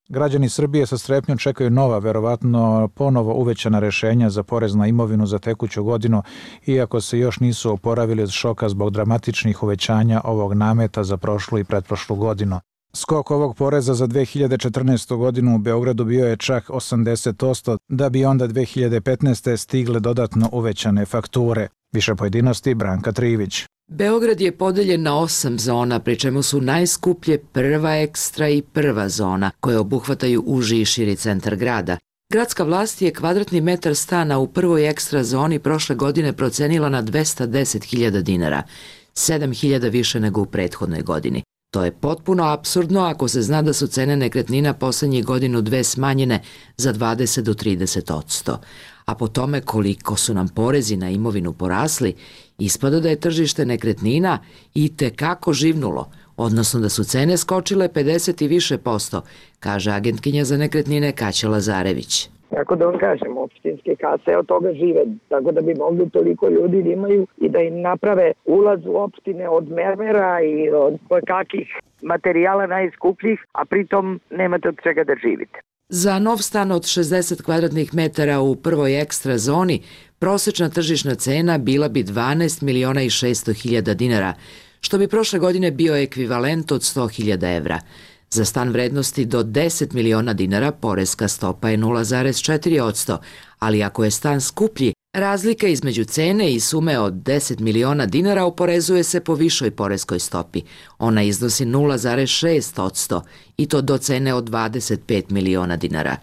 Građani Srbije sa strepnjom čekaju nova, verovatno ponovo uvećana rešenja za porez na imovinu za tekuću godinu, iako se još nisu oporavili od šoka zbog dramatičnih uvećanja ovog nameta za prošlu i pretprošlu godinu. Skok ovog poreza za 2014. godinu u Beogradu bio je čak 80%, da bi onda 2015. stigle dodatno uvećane fakture. Više pojedinosti Branka Trivić. Beograd je podeljen na 8 zona, pri čemu su najskuplje prva ekstra i prva zona, koje obuhvataju uži i širi centar grada. Gradska vlast je kvadratni metar stana u prvoj ekstra zoni prošle godine procenila na 210.000 dinara, 7.000 više nego u prethodnoj godini. To je potpuno apsurdno ako se zna da su cene nekretnina posljednjih godinu dve smanjene za 20 do 30%. A po tome koliko su nam porezi na imovinu porasli, ispada da je tržište nekretnina itekako živnulo, odnosno da su cene skočile 50 i više %, kaže agentkinja za nekretnine Kaća Lazarević. Kako da vam kažem, opštinske kase od toga žive, tako da bi mogli toliko ljudi da imaju i da im naprave ulaz u opštine od mermera i od kakih materijala najskupljih, a pritom nemate od čega da živite. Za nov stan od 60 kvadratnih metara u prvoj ekstra zoni prosječna tržišna cena bila bi 12.600.000 dinara, što bi prošle godine bio ekvivalent od 100.000 evra. Za stan vrednosti do 10 miliona dinara poreska stopa je 0,4%, ali ako je stan skuplji, razlika između cene i sume od 10 miliona dinara oporezuje se po višoj poreskoj stopi. Ona iznosi 0,6% i to do cene od 25 miliona dinara.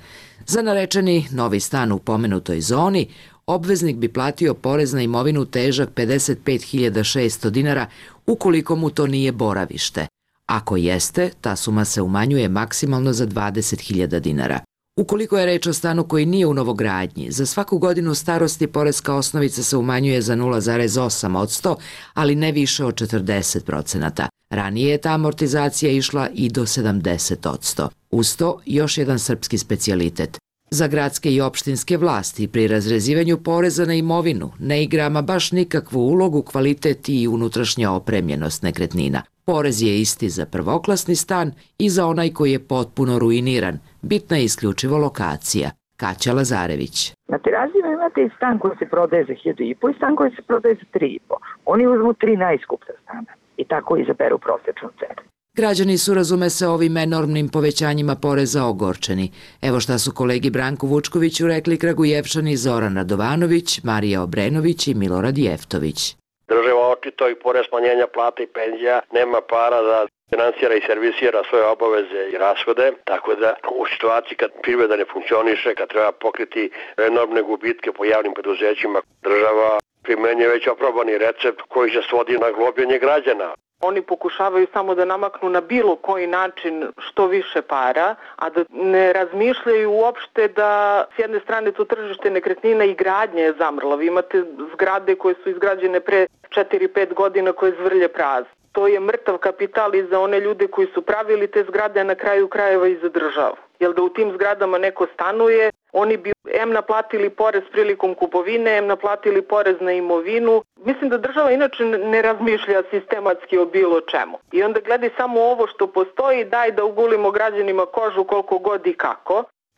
Za narečeni novi stan u pomenutoj zoni, obveznik bi platio porez na imovinu težak 55.600 dinara ukoliko mu to nije boravište. Ako jeste, ta suma se umanjuje maksimalno za 20.000 dinara. Ukoliko je reč o stanu koji nije u novogradnji, za svaku godinu starosti poreska osnovica se umanjuje za 0,8%, ali ne više od 40%. Ranije je ta amortizacija išla i do 70%. Uz to još jedan srpski specijalitet. Za gradske i opštinske vlasti pri razrezivanju poreza na imovinu ne igra ama baš nikakvu ulogu kvalitet i unutrašnja opremljenost nekretnina. Porez je isti za prvoklasni stan i za onaj koji je potpuno ruiniran. Bitna je isključivo lokacija. Kaća Lazarević. Na Terazijama imate i stan koji se prodaje za 1.500 i stan koji se prodaje za 3.500. Oni uzmu 3 najskuplja stana i tako izaberu prosječnu cenu. Građani su, razume se, ovim enormnim povećanjima poreza ogorčeni. Evo šta su kolegi Branku Vučkoviću rekli Kragujevčani Zoran Radovanović, Marija Obrenović i Milorad Jeftović. Država očito i pored smanjenja plata i penzija nema para da finansira i servisira svoje obaveze i rashode, tako da u situaciji kad privreda ne funkcioniše, kad treba pokriti enormne gubitke po javnim preduzećima, država primenjuje već oprobani recept koji se svodi na globljenje građana. Oni pokušavaju samo da namaknu na bilo koji način što više para, a da ne razmišljaju uopšte da s jedne strane to tržište nekretnina i gradnje je zamrla. Vi imate zgrade koje su izgrađene pre 4-5 godina koje zvrlje prazne. To je mrtav kapital i za one ljude koji su pravili te zgrade, a na kraju krajeva i za državu. Jer da u tim zgradama neko stanuje, oni bi em naplatili porez prilikom kupovine, em naplatili porez na imovinu. Mislim da država inače ne razmišlja sistematski o bilo čemu. I onda gledaj samo ovo što postoji, daj da ugulimo građanima kožu koliko god i kako.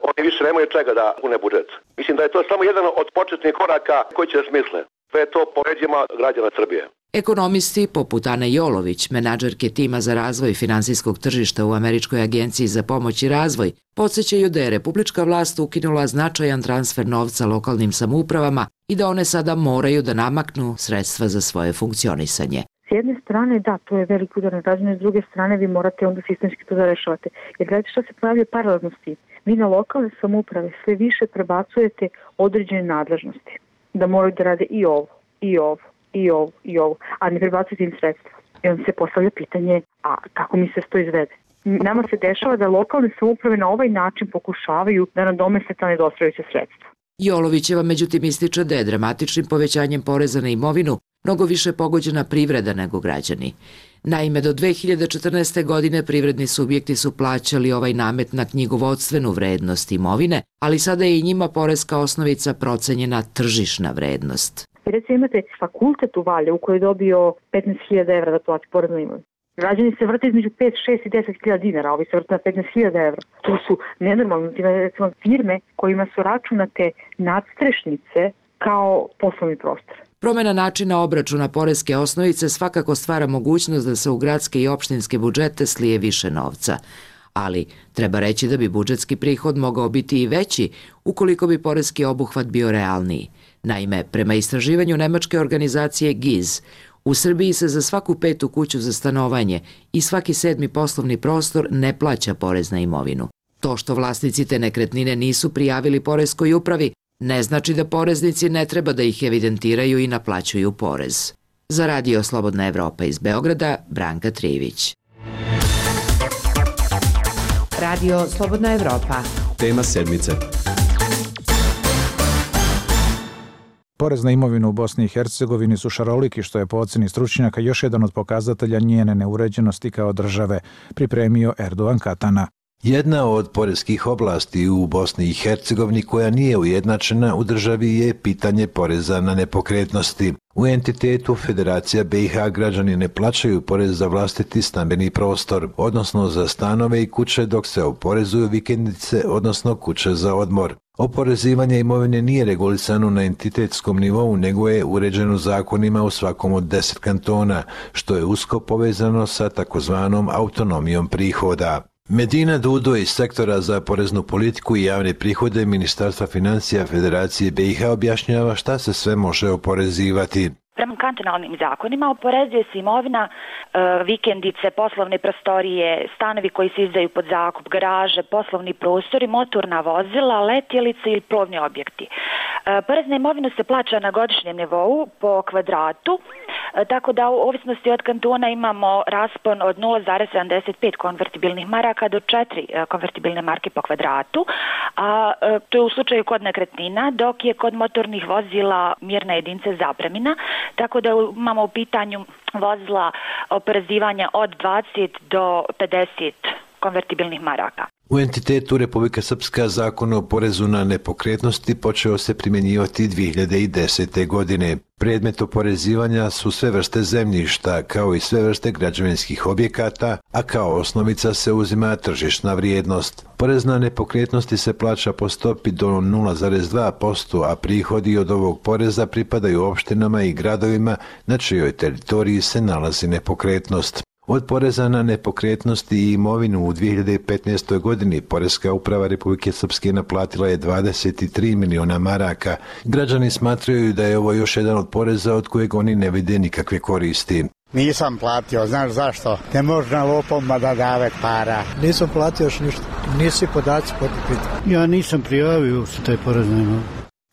Oni više nemaju čega da pune budžet. Mislim da je to samo jedan od početnih koraka koji će da smisle. Sve to po leđima građana Srbije. Ekonomisti poput Ane Jolović, menadžerke tima za razvoj finansijskog tržišta u Američkoj agenciji za pomoć i razvoj, podsjećaju da je republička vlast ukinula značajan transfer novca lokalnim samoupravama i da one sada moraju da namaknu sredstva za svoje funkcionisanje. S jedne strane, da, to je velik udar na građane, s druge strane vi morate onda sistemski to da rešavate. Jer gledajte što se pojavlja paralelno s tim. Vi na lokalne samouprave sve više prebacujete određene nadležnosti. Da moraju da rade i ovo, i ovo, a ne prebacujete im sredstva. I onda se postavlja pitanje, a kako mi se to izvede? Nama se dešava da lokalne samouprave na ovaj način pokušavaju da nadomeste ta nedostajuća sredstva. Jolovićeva međutim ističe da je dramatičnim povećanjem poreza na imovinu mnogo više pogođena privreda nego građani. Naime, do 2014. godine privredni subjekti su plaćali ovaj namet na knjigovodstvenu vrednost imovine, ali sada je i njima poreska osnovica procenjena tržišna vrednost. Recimo imate fakultet u Valjevu koji je dobio 15.000 evra da plati porez na imovinu. Građani se vrte između 5, 6 i 10.000 dinara, ovi se vrte na 15.000 evra. To su nenormalne recimo, firme kojima su računate nadstrešnice kao poslovni prostor. Promjena načina obračuna poreske osnovice svakako stvara mogućnost da se u gradske i opštinske budžete slije više novca. Ali treba reći da bi budžetski prihod mogao biti i veći ukoliko bi poreski obuhvat bio realniji. Naime, prema istraživanju nemačke organizacije GIZ, u Srbiji se za svaku 5. kuću za stanovanje i svaki 7. poslovni prostor ne plaća porez na imovinu. To što vlasnici te nekretnine nisu prijavili poreskoj upravi ne znači da poreznici ne treba da ih evidentiraju i naplaćuju porez. Za Radio Slobodna Evropa iz Beograda, Branka Trivić. Radio Slobodna Evropa. Tema sedmice. Porez na imovinu u Bosni i Hercegovini su šaroliki, što je po ocjeni stručnjaka još jedan od pokazatelja njene neuređenosti kao države, pripremio Erdogan Katana. Jedna od poreskih oblasti u Bosni i Hercegovini koja nije ujednačena u državi je pitanje poreza na nepokretnosti. U entitetu Federacija BiH građani ne plaćaju porez za vlastiti stambeni prostor, odnosno za stanove i kuće, dok se oporezuju vikendice, odnosno kuće za odmor. Oporezivanje imovine nije regulisano na entitetskom nivou, nego je uređeno zakonima u svakom od 10 kantona, što je usko povezano sa takozvanom autonomijom prihoda. Medina Dudo iz sektora za poreznu politiku i javne prihode Ministarstva financija Federacije BiH objašnjava šta se sve može oporezivati. Prema kantonalnim zakonima oporezuje se imovina, vikendice, poslovne prostorije, stanovi koji se izdaju pod zakup, garaže, poslovni prostori, motorna vozila, letjelice ili plovni objekti. Porez na imovinu se plaća na godišnjem nivou po kvadratu, tako da u ovisnosti od kantona imamo raspon od 0,75 konvertibilnih maraka do 4 konvertibilne marke po kvadratu, a to je u slučaju kod nekretnina, dok je kod motornih vozila mjerna jedinica zapremina, tako da imamo u pitanju vozila oporezivanja od 20 do 50 konvertibilnih maraka. U entitetu Republika Srpska zakon o porezu na nepokretnosti počeo se primjenjivati 2010. godine. Predmet oporezivanja su sve vrste zemljišta, kao i sve vrste građevinskih objekata, a kao osnovica se uzima tržišna vrijednost. Porez na nepokretnosti se plaća po stopi do 0,2%, a prihodi od ovog poreza pripadaju opštinama i gradovima na čijoj teritoriji se nalazi nepokretnost. Od poreza na nepokretnosti i imovinu u 2015. godini Poreska uprava Republike Srpske naplatila je 23 miliona maraka. Građani smatraju da je ovo još jedan od poreza od kojeg oni ne vide nikakve koristi. Nisam platio, znaš zašto? Ne možda lopovima da dave para. Nisam platio još ništa, nisi podaci potpiti. Ja nisam prijavio su taj porez na imovinu.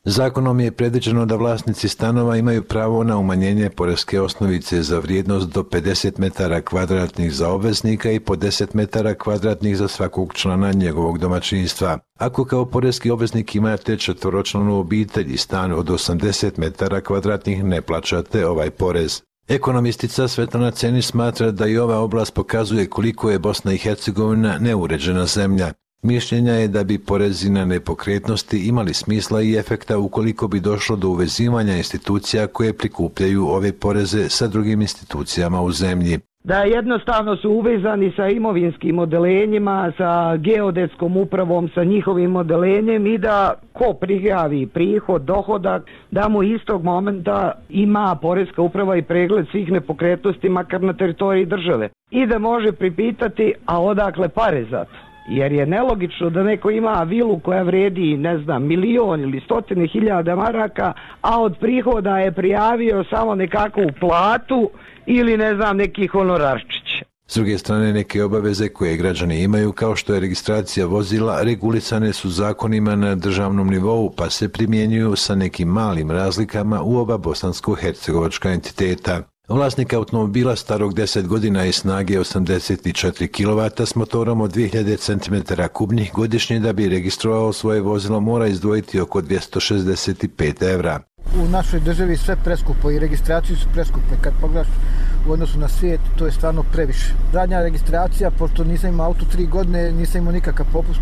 Zakonom je predviđeno da vlasnici stanova imaju pravo na umanjenje poreske osnovice za vrijednost do 50 metara kvadratnih za obveznika i po 10 metara kvadratnih za svakog člana njegovog domaćinstva. Ako kao poreski obveznik imate četvoročlanu obitelj i stan od 80 metara kvadratnih, ne plaćate ovaj porez. Ekonomistica Svetlana Cenić smatra da i ova oblast pokazuje koliko je Bosna i Hercegovina neuređena zemlja. Mišljenja je da bi porezi na nepokretnosti imali smisla i efekta ukoliko bi došlo do uvezivanja institucija koje prikupljaju ove poreze sa drugim institucijama u zemlji. Da jednostavno su uvezani sa imovinskim odelenjima, sa geodetskom upravom, sa njihovim odelenjem i da ko prijavi prihod, dohodak, da mu istog momenta ima poreska uprava i pregled svih nepokretnosti makar na teritoriji države. I da može pripitati, a odakle pare za to? Jer je nelogično da neko ima vilu koja vredi, ne znam, 1.000.000 ili 100.000 maraka, a od prihoda je prijavio samo nekakvu platu ili ne znam neki honorarčić. S druge strane, neke obaveze koje građani imaju, kao što je registracija vozila, regulisane su zakonima na državnom nivou, pa se primjenjuju sa nekim malim razlikama u oba bosansko-hercegovačka entiteta. Vlasnik automobila starog 10 godina i snage 84 kW s motorom od 2000 cm3 godišnje da bi registrovao svoje vozilo mora izdvojiti oko 265 evra. U našoj državi sve preskupo i registracije su preskupe. Kad pogledaš u odnosu na svijet, to je stvarno previše. Zadnja registracija, pošto nisam imao auto 3 godine, nisam imao nikakav popust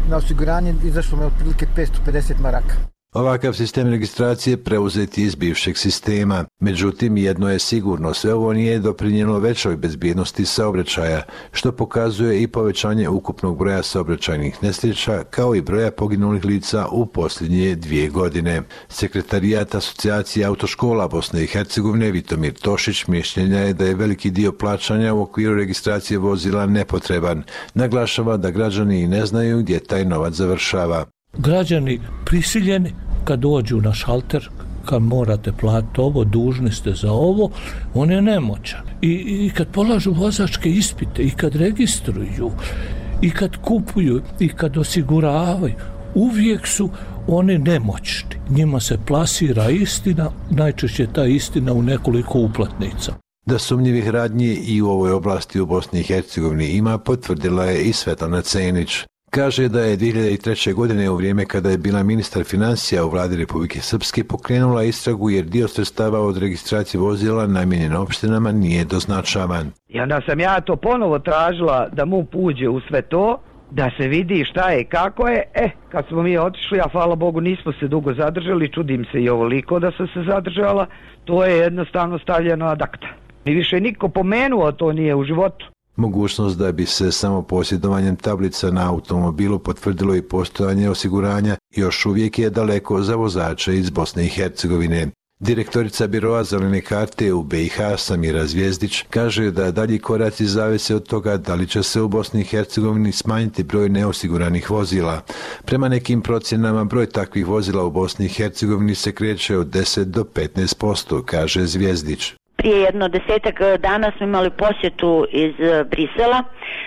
na osiguranje, izašlo me otprilike 550 maraka. Ovakav sistem registracije preuzet je iz bivšeg sistema. Međutim, jedno je sigurno, sve ovo nije doprinijelo većoj bezbjednosti saobraćaja, što pokazuje i povećanje ukupnog broja saobraćajnih nesreća, kao i broja poginulih lica u posljednje 2 godine. Sekretarijat Asocijacije autoškola Bosne i Hercegovine Vitomir Tošić mišljenja je da je veliki dio plaćanja u okviru registracije vozila nepotreban. Naglašava da građani ne znaju gdje taj novac završava. Građani prisiljeni kad dođu na šalter, kad morate platiti ovo, dužni ste za ovo, on je nemoćan. I kad polažu vozačke ispite, i kad registruju, i kad kupuju, i kad osiguravaju, uvijek su oni nemoćni. Njima se plasira istina, najčešće ta istina u nekoliko uplatnica. Da sumnjivih radnji i u ovoj oblasti u Bosni i Hercegovini ima, potvrdila je i Svetlana Cenić. Kaže da je 2003. godine, u vrijeme kada je bila ministar financija u vladi Republike Srpske, pokrenula istragu jer dio sredstava od registracije vozila namijenjen opštinama nije doznačavan. I onda sam ja to ponovo tražila da MUP uđe u sve to, da se vidi šta je i kako je. Kad smo mi otišli, a hvala Bogu nismo se dugo zadržali, čudim se i ovoliko da sam se zadržala, to je jednostavno stavljeno ad acta. I više niko pomenuo to nije u životu. Mogućnost da bi se samo posjedovanjem tablica na automobilu potvrdilo i postojanje osiguranja još uvijek je daleko za vozače iz Bosne i Hercegovine. Direktorica Biroa zelene karte u BiH Samira Zvjezdić kaže da dalji koraci zavise od toga da li će se u Bosni i Hercegovini smanjiti broj neosiguranih vozila. Prema nekim procjenama broj takvih vozila u Bosni i Hercegovini se kreće od 10 do 15%, kaže Zvjezdić. Prije jedno 10 dana smo imali posjetu iz Brisela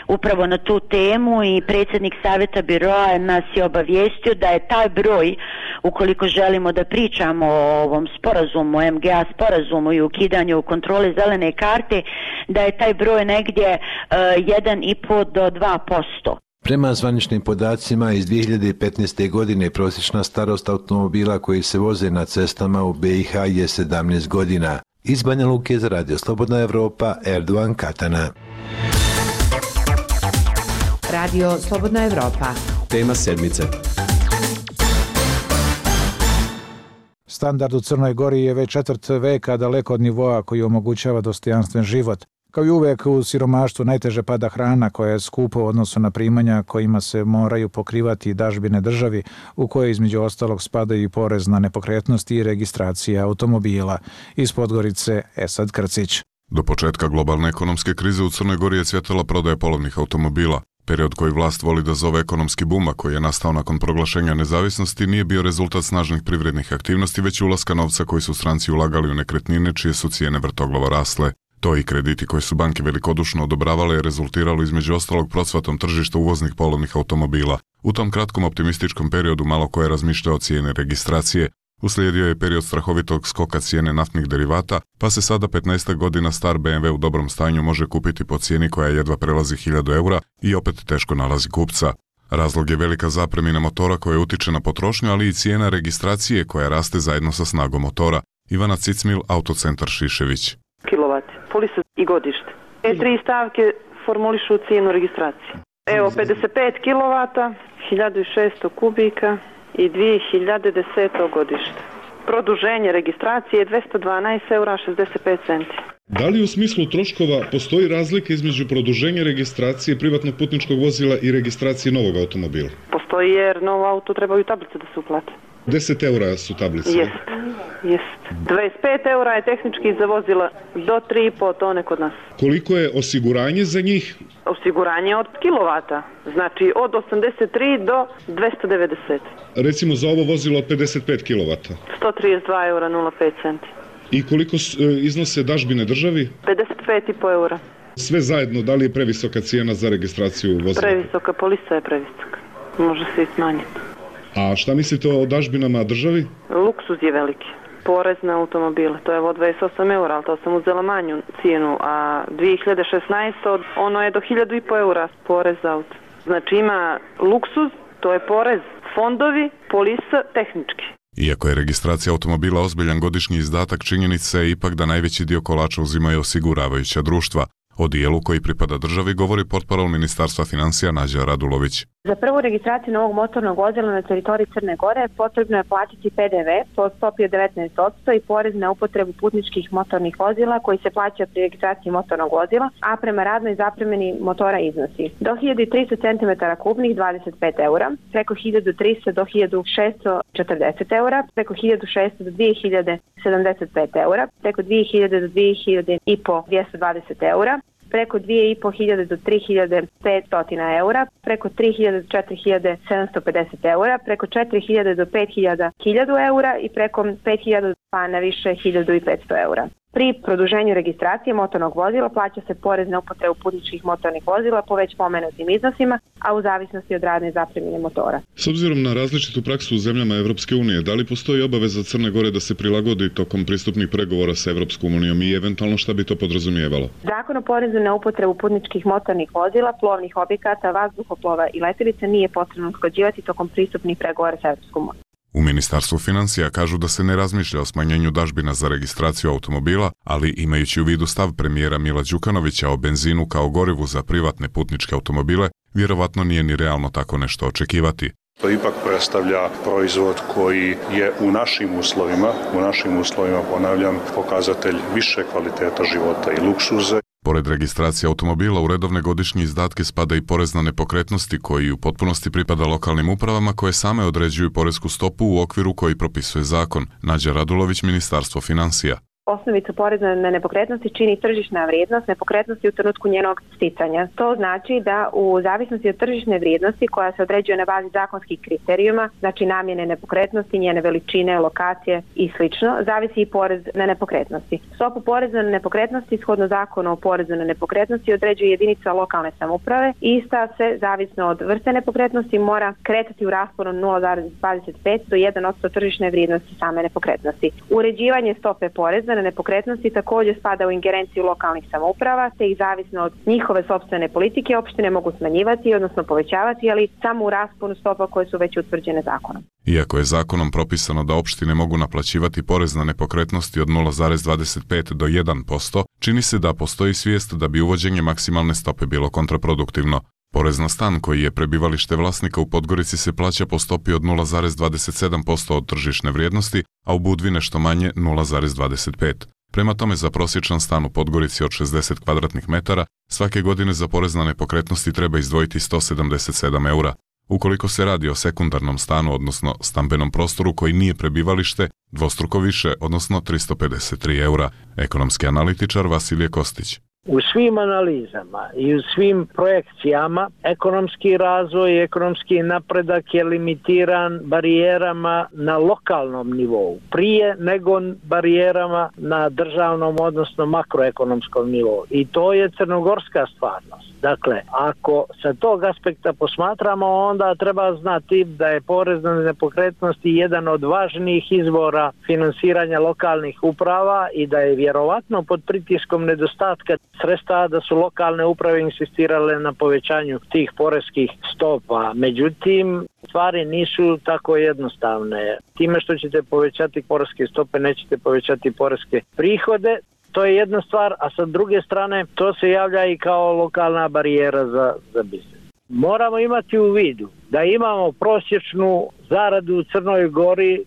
upravo na tu temu i predsjednik Savjeta Biroa nas je obavijestio da je taj broj, ukoliko želimo da pričamo o ovom sporazumu, MGA sporazumu i ukidanju kontrole zelene karte, da je taj broj negdje 1,5 do 2%. Prema zvaničnim podacima iz 2015. godine prosječna starost automobila koji se voze na cestama u BiH je 17 godina. Iz Banja Luke za Radio Slobodna Evropa, Erdogan Katana. Radio Slobodna Evropa. Tema sedmice. Standard u Crnoj Gori je već četvrt veka daleko od nivoa koji omogućava dostojanstven život. Kao i uvek u siromaštvu najteže pada hrana koja je skupa u odnosu na primanja kojima se moraju pokrivati dažbine državi u koje između ostalog spadaju i porez na nepokretnosti i registracija automobila. Iz Podgorice Esad Krcić. Do početka globalne ekonomske krize u Crnoj Gori je cvjetala prodaja polovnih automobila. Period koji vlast voli da zove ekonomski buma koji je nastao nakon proglašenja nezavisnosti nije bio rezultat snažnih privrednih aktivnosti, već ulaska novca koji su stranci ulagali u nekretnine čije su cijene vrtoglavo rasle. To i krediti koje su banke velikodušno odobravale je rezultiralo između ostalog procvatom tržišta uvoznih polovnih automobila. U tom kratkom optimističkom periodu malo ko je razmišljao o cijene registracije. Uslijedio je period strahovitog skoka cijene naftnih derivata, pa se sada 15 godina star BMW u dobrom stanju može kupiti po cijeni koja jedva prelazi 1000 eura i opet teško nalazi kupca. Razlog je velika zapremina motora koja utiče na potrošnju, ali i cijena registracije koja raste zajedno sa snagom motora. Ivana Cicmil, Autocentar Šišević. Kilovat, polisa i godište. Te tri stavke formulišu cijenu registracije. Evo 55 kilovata, 1600 kubika i 2010. godište. Produženje registracije je 212 eura 65 centi. Da li u smislu troškova postoji razlika između produženja registracije privatnog putničkog vozila i registracije novog automobila? Postoji jer novo auto trebaju tablice da se uplate. 10 eura su tablice. Jest. 25 eura je tehnički za vozila do 3,5 tone kod nas. Koliko je osiguranje za njih? Osiguranje od kilovata, znači od 83 do 290. Recimo za ovo vozilo od 55 kilovata? 132 eura 05 centi. I koliko iznose dažbine državi? 55,5 eura. Sve zajedno, da li je previsoka cijena za registraciju vozila? Previsoka, polisa je previsoka. Može se i smanjiti. A šta mislite o dažbinama državi? Luksuz je veliki. Porez na automobile, to je od 28 eura, ali to sam uzela manju cijenu, a 2016. ono je do 1500 eura porez za auto. Znači ima luksuz, to je porez, fondovi, polisa, tehnički. Iako je registracija automobila ozbiljan godišnji izdatak, činjenica je ipak da najveći dio kolača uzimaju osiguravajuća društva. O dijelu koji pripada državi govori portparol Ministarstva financija Nađa Radulović. Za prvu registraciju novog motornog vozila na teritoriji Crne Gore potrebno je platiti PDV po stopi od 19% i porez na upotrebu putničkih motornih vozila koji se plaća pri registraciji motornog vozila, a prema radnoj zapremini motora iznosi do 1300 cm3 25 eura, preko 1300 do 1640 eura, preko 1600 do 2075 eura, preko 2000 do 2500 220 eura, preko 2500 do 3500 eura, preko 3000 do 4750 eura, preko 4000 do 5000 1000 eura i preko 5000 pa na više 1500 eura. Pri produženju registracije motornog vozila plaća se porez na upotrebu putničkih motornih vozila po već pomenutim iznosima, a u zavisnosti od radne zapremine motora. S obzirom na različitu praksu u zemljama Evropske unije, da li postoji obaveza Crne Gore da se prilagodi tokom pristupnih pregovora sa Evropskom unijom i eventualno šta bi to podrazumijevalo? Zakon o porezu na upotrebu putničkih motornih vozila, plovnih objekata, vazduhoplova i letjelica nije potrebno usklađivati tokom pristupnih pregovora sa Evropskom unijom. U Ministarstvu financija kažu da se ne razmišlja o smanjenju dažbina za registraciju automobila, ali imajući u vidu stav premijera Mila Đukanovića o benzinu kao gorivu za privatne putničke automobile, vjerovatno nije ni realno tako nešto očekivati. To ipak predstavlja proizvod koji je u našim uslovima, ponavljam, pokazatelj više kvaliteta života i luksuze. Pored registracije automobila u redovne godišnje izdatke spada i porez na nepokretnosti koji u potpunosti pripada lokalnim upravama koje same određuju poresku stopu u okviru koji propisuje zakon. Nađa Radulović, Ministarstvo financija. Osnovicu poreza na nepokretnosti čini tržišna vrijednost nepokretnosti u trenutku njenog sticanja. To znači da u zavisnosti od tržišne vrijednosti koja se određuje na bazi zakonskih kriterijuma, znači namjene nepokretnosti, njene veličine, lokacije i sl., zavisi i porez na nepokretnosti. Stopu poreza na nepokretnosti shodno zakonu o porezu na nepokretnosti određuje jedinica lokalne samouprave i ista se, zavisno od vrste nepokretnosti, mora kretati u rasponu 0,25 do 1% tržišne vrijednosti same nepokretnosti. Uređivanje stope poreza na nepokretnosti također spada u ingerenciju lokalnih samouprava, te ih zavisno od njihove sopstvene politike opštine mogu smanjivati, odnosno povećavati, ali samo u rasponu stopa koje su već utvrđene zakonom. Iako je zakonom propisano da opštine mogu naplaćivati porez na nepokretnosti od 0,25 do 1%, čini se da postoji svijest da bi uvođenje maksimalne stope bilo kontraproduktivno. Porez na stan koji je prebivalište vlasnika u Podgorici se plaća po stopi od 0,27% od tržišne vrijednosti, a u Budvi nešto manje 0,25. Prema tome, za prosječan stan u Podgorici od 60 kvadratnih metara svake godine za porez na nepokretnosti treba izdvojiti 177 eura. Ukoliko se radi o sekundarnom stanu, odnosno stambenom prostoru koji nije prebivalište, dvostruko više, odnosno 353 eura. Ekonomski analitičar Vasilije Kostić. U svim analizama i u svim projekcijama ekonomski razvoj i ekonomski napredak je limitiran barijerama na lokalnom nivou, prije nego barijerama na državnom, odnosno makroekonomskom nivou. I to je crnogorska stvarnost. Dakle, ako sa tog aspekta posmatramo, onda treba znati da je porez na nepokretnosti jedan od važnijih izvora finansiranja lokalnih uprava i da je vjerovatno pod pritiskom nedostatka sredstava da su lokalne uprave insistirale na povećanju tih poreskih stopa. Međutim, stvari nisu tako jednostavne. Time što ćete povećati poreske stope, nećete povećati poreske prihode. To je jedna stvar, a sa druge strane to se javlja i kao lokalna barijera za biznis. Moramo imati u vidu da imamo prosječnu zaradu u Crnoj Gori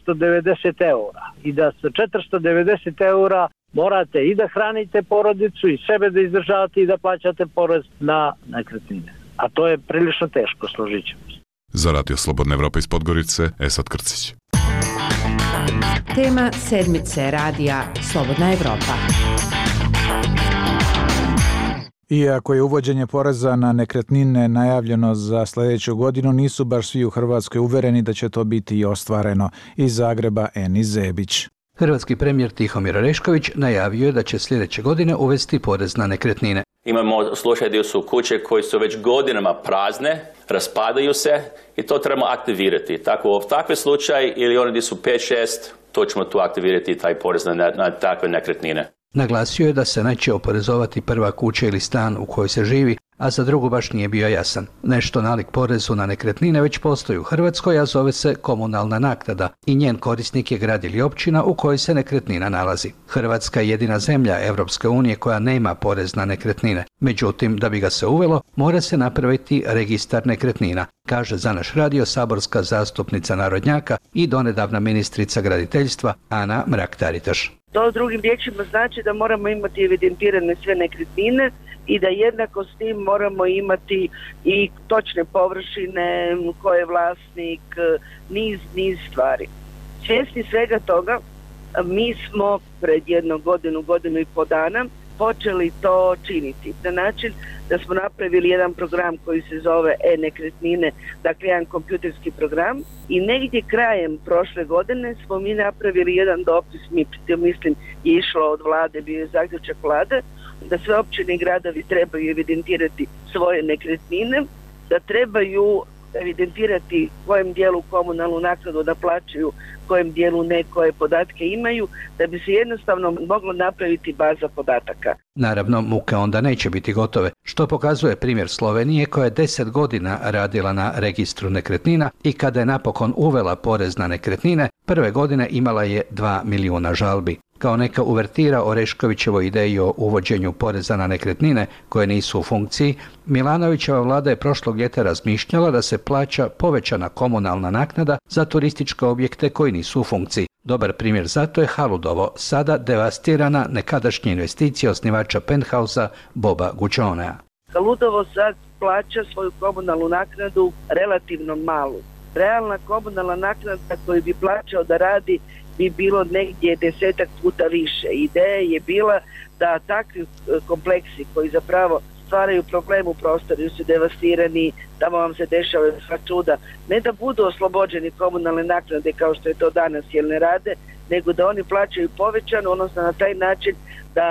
490 eura i da sa 490 eura morate i da hranite porodicu i sebe da izdržavate i da plaćate porez na nekretnine. A to je prilično teško, složit ćemo se. Za Radio Slobodna Evropa iz Podgorice, Esad Krcić. Tema sedmice radija Slobodna Evropa. Iako je uvođenje poreza na nekretnine najavljeno za sljedeću godinu, nisu baš svi u Hrvatskoj uvereni da će to biti i ostvareno. Iz Zagreba Eni Zebić. Hrvatski premijer Tihomir Orešković najavio je da će sljedeće godine uvesti porez na nekretnine. Imamo slučaj gdje su kuće koje su već godinama prazne, raspadaju se i to trebamo aktivirati. Tako takve slučaj ili oni gdje su 5-6, to ćemo tu aktivirati taj porez na takve nekretnine. Naglasio je da se neće oporezovati prva kuća ili stan u kojoj se živi, a za drugu baš nije bio jasan. Nešto nalik porezu na nekretnine već postoji u Hrvatskoj, a zove se komunalna naknada i njen korisnik je grad ili općina u kojoj se nekretnina nalazi. Hrvatska je jedina zemlja Europske unije koja nema porez na nekretnine. Međutim, da bi ga se uvelo, mora se napraviti registar nekretnina, kaže za naš radio saborska zastupnica narodnjaka i donedavna ministrica graditeljstva Ana Mrak-Taritaš. To drugim riječima znači da moramo imati evidentirane sve nekretnine i da jednako s tim moramo imati i točne površine, ko je vlasnik, niz stvari. Svjesni svega toga, mi smo pred jednu godinu i po dana počeli to činiti na način da smo napravili jedan program koji se zove e-nekretnine, dakle jedan kompjuterski program, i negdje krajem prošle godine smo mi napravili jedan dopis, mislim je išlo od vlade, bio je zaključak vlade, da sve općine i gradovi trebaju evidentirati svoje nekretnine, da trebaju evidentirati kojem dijelu komunalnu naknadu da plaćaju, kojem dijelu ne, koje podatke imaju, da bi se jednostavno moglo napraviti baza podataka. Naravno, muke onda neće biti gotove, što pokazuje primjer Slovenije koja je 10 godina radila na registru nekretnina i kada je napokon uvela porez na nekretnine, prve godine imala je 2 milijuna žalbi. Kao neka uvertira Oreškovićevoj ideji o uvođenju poreza na nekretnine koje nisu u funkciji, Milanovićeva vlada je prošlog ljeta razmišljala da se plaća povećana komunalna naknada za turističke objekte koji nisu u funkciji. Dobar primjer zato je Haludovo, sada devastirana nekadašnja investicija osnivača Penthausa Boba Gućonea. Haludovo sad plaća svoju komunalnu naknadu relativno malu. Realna komunalna naknada koju bi plaćao da radi bi bilo negdje 10 puta više. Ideja je bila da takvi kompleksi koji zapravo stvaraju problem u prostoru, su devastirani, tamo vam se dešavaju sva čuda, ne da budu oslobođeni komunalne naknade kao što je to danas jer ne rade, nego da oni plaćaju povećano, odnosno na taj način da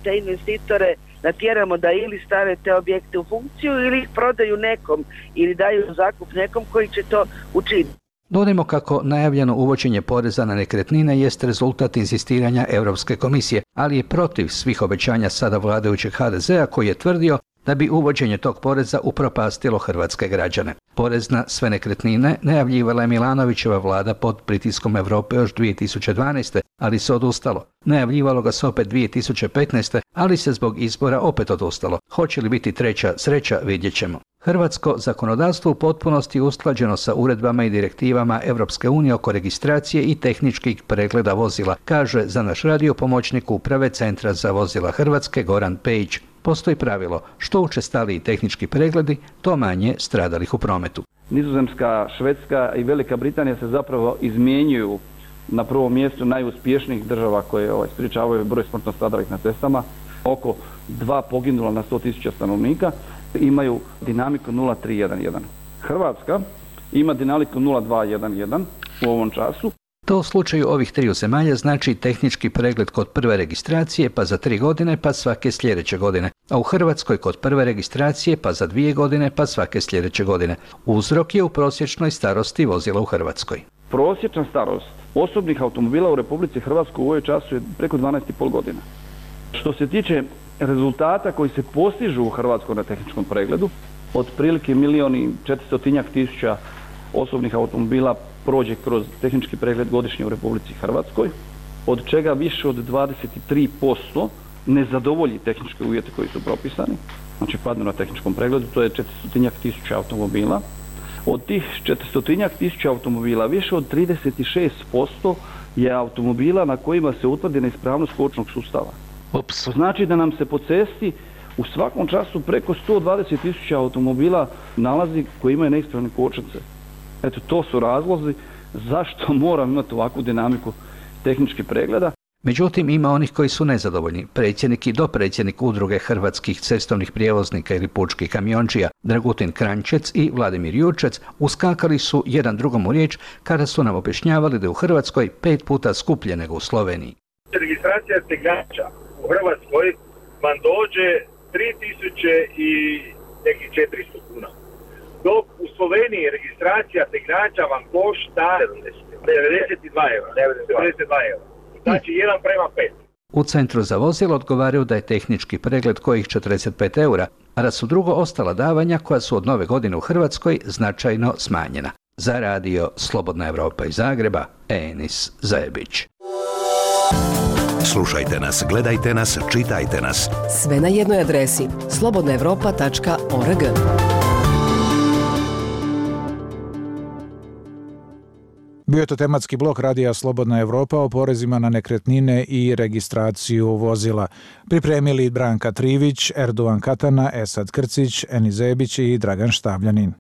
te investitore natjeramo da ili stave te objekte u funkciju ili ih prodaju nekom ili daju zakup nekom koji će to učiniti. Dodajmo kako najavljeno uvođenje poreza na nekretnine jest rezultat inzistiranja Europske komisije, ali je protiv svih obećanja sada vladajućeg HDZ-a koji je tvrdio da bi uvođenje tog poreza upropastilo hrvatske građane. Porez na sve nekretnine najavljivala je Milanovićeva vlada pod pritiskom Europe još 2012. ali se odustalo. Najavljivalo ga se opet 2015. ali se zbog izbora opet odustalo. Hoće li biti treća sreća, vidjet ćemo. Hrvatsko zakonodavstvo u potpunosti je usklađeno sa uredbama i direktivama Europske unije oko registracije i tehničkih pregleda vozila, kaže za naš radio pomoćnik uprave Centra za vozila Hrvatske Goran Pejić. Postoji pravilo, što učestaliji tehnički pregledi, to manje stradalih u prometu. Nizozemska, Švedska i Velika Britanija se zapravo izmjenjuju na prvom mjestu najuspješnijih država koje sprječavaju broj smrtno stradalih na cestama. Oko 2 poginula na 100.000 stanovnika imaju dinamiku 0,311. Hrvatska ima dinamiku 0,211 u ovom času. To u slučaju ovih triju zemalja znači tehnički pregled kod prve registracije pa za 3 godine pa svake sljedeće godine, a u Hrvatskoj kod prve registracije pa za 2 godine pa svake sljedeće godine. Uzrok je u prosječnoj starosti vozila u Hrvatskoj. Prosječna starost osobnih automobila u Republici Hrvatskoj u ovoj času je preko 12,5 godina. Što se tiče rezultata koji se postižu u Hrvatskoj na tehničkom pregledu, otprilike 1.400.000 osobnih automobila prođe kroz tehnički pregled godišnje u Republici Hrvatskoj, od čega više od 23% ne zadovolji tehničke uvjete koji su propisani, znači padnu na tehničkom pregledu, to je 400.000 automobila. Od tih 400.000 automobila više od 36% je automobila na kojima se utvrdi neispravnost kočnog sustava. To znači da nam se po cesti u svakom času preko 120.000 automobila nalazi koji imaju neispravne kočnice. Eto, to su razlozi zašto moram imati ovakvu dinamiku tehničkih pregleda. Međutim, ima onih koji su nezadovoljni. Predsjednik i dopredsjednik udruge hrvatskih cestovnih prijevoznika ili pučkih kamiončija Dragutin Kranjčec i Vladimir Jurčec uskakali su jedan drugom u riječ kada su nam objašnjavali da je u Hrvatskoj 5 puta skuplje nego u Sloveniji. Registracija tegnača u Hrvatskoj vam dođe 3.000 i nekih 400 kuna. Dok u Sloveniji registracija tegnača vam košta 92 eura. Znači 1:5. U Centru za vozilo odgovaraju da je tehnički pregled kojih 45 eura, a da su drugo ostala davanja koja su od nove godine u Hrvatskoj značajno smanjena. Za radio Slobodna Evropa iz Zagreba, Enis Zajebić. Slušajte nas, gledajte nas, čitajte nas. Sve na jednoj adresi slobodnaevropa.org. Bio je to tematski blok radija Slobodna Evropa o porezima na nekretnine i registraciju vozila. Pripremili Branka Trivić, Erdovan Katana, Esad Krcić, Enis Zebić i Dragan Štavljanin.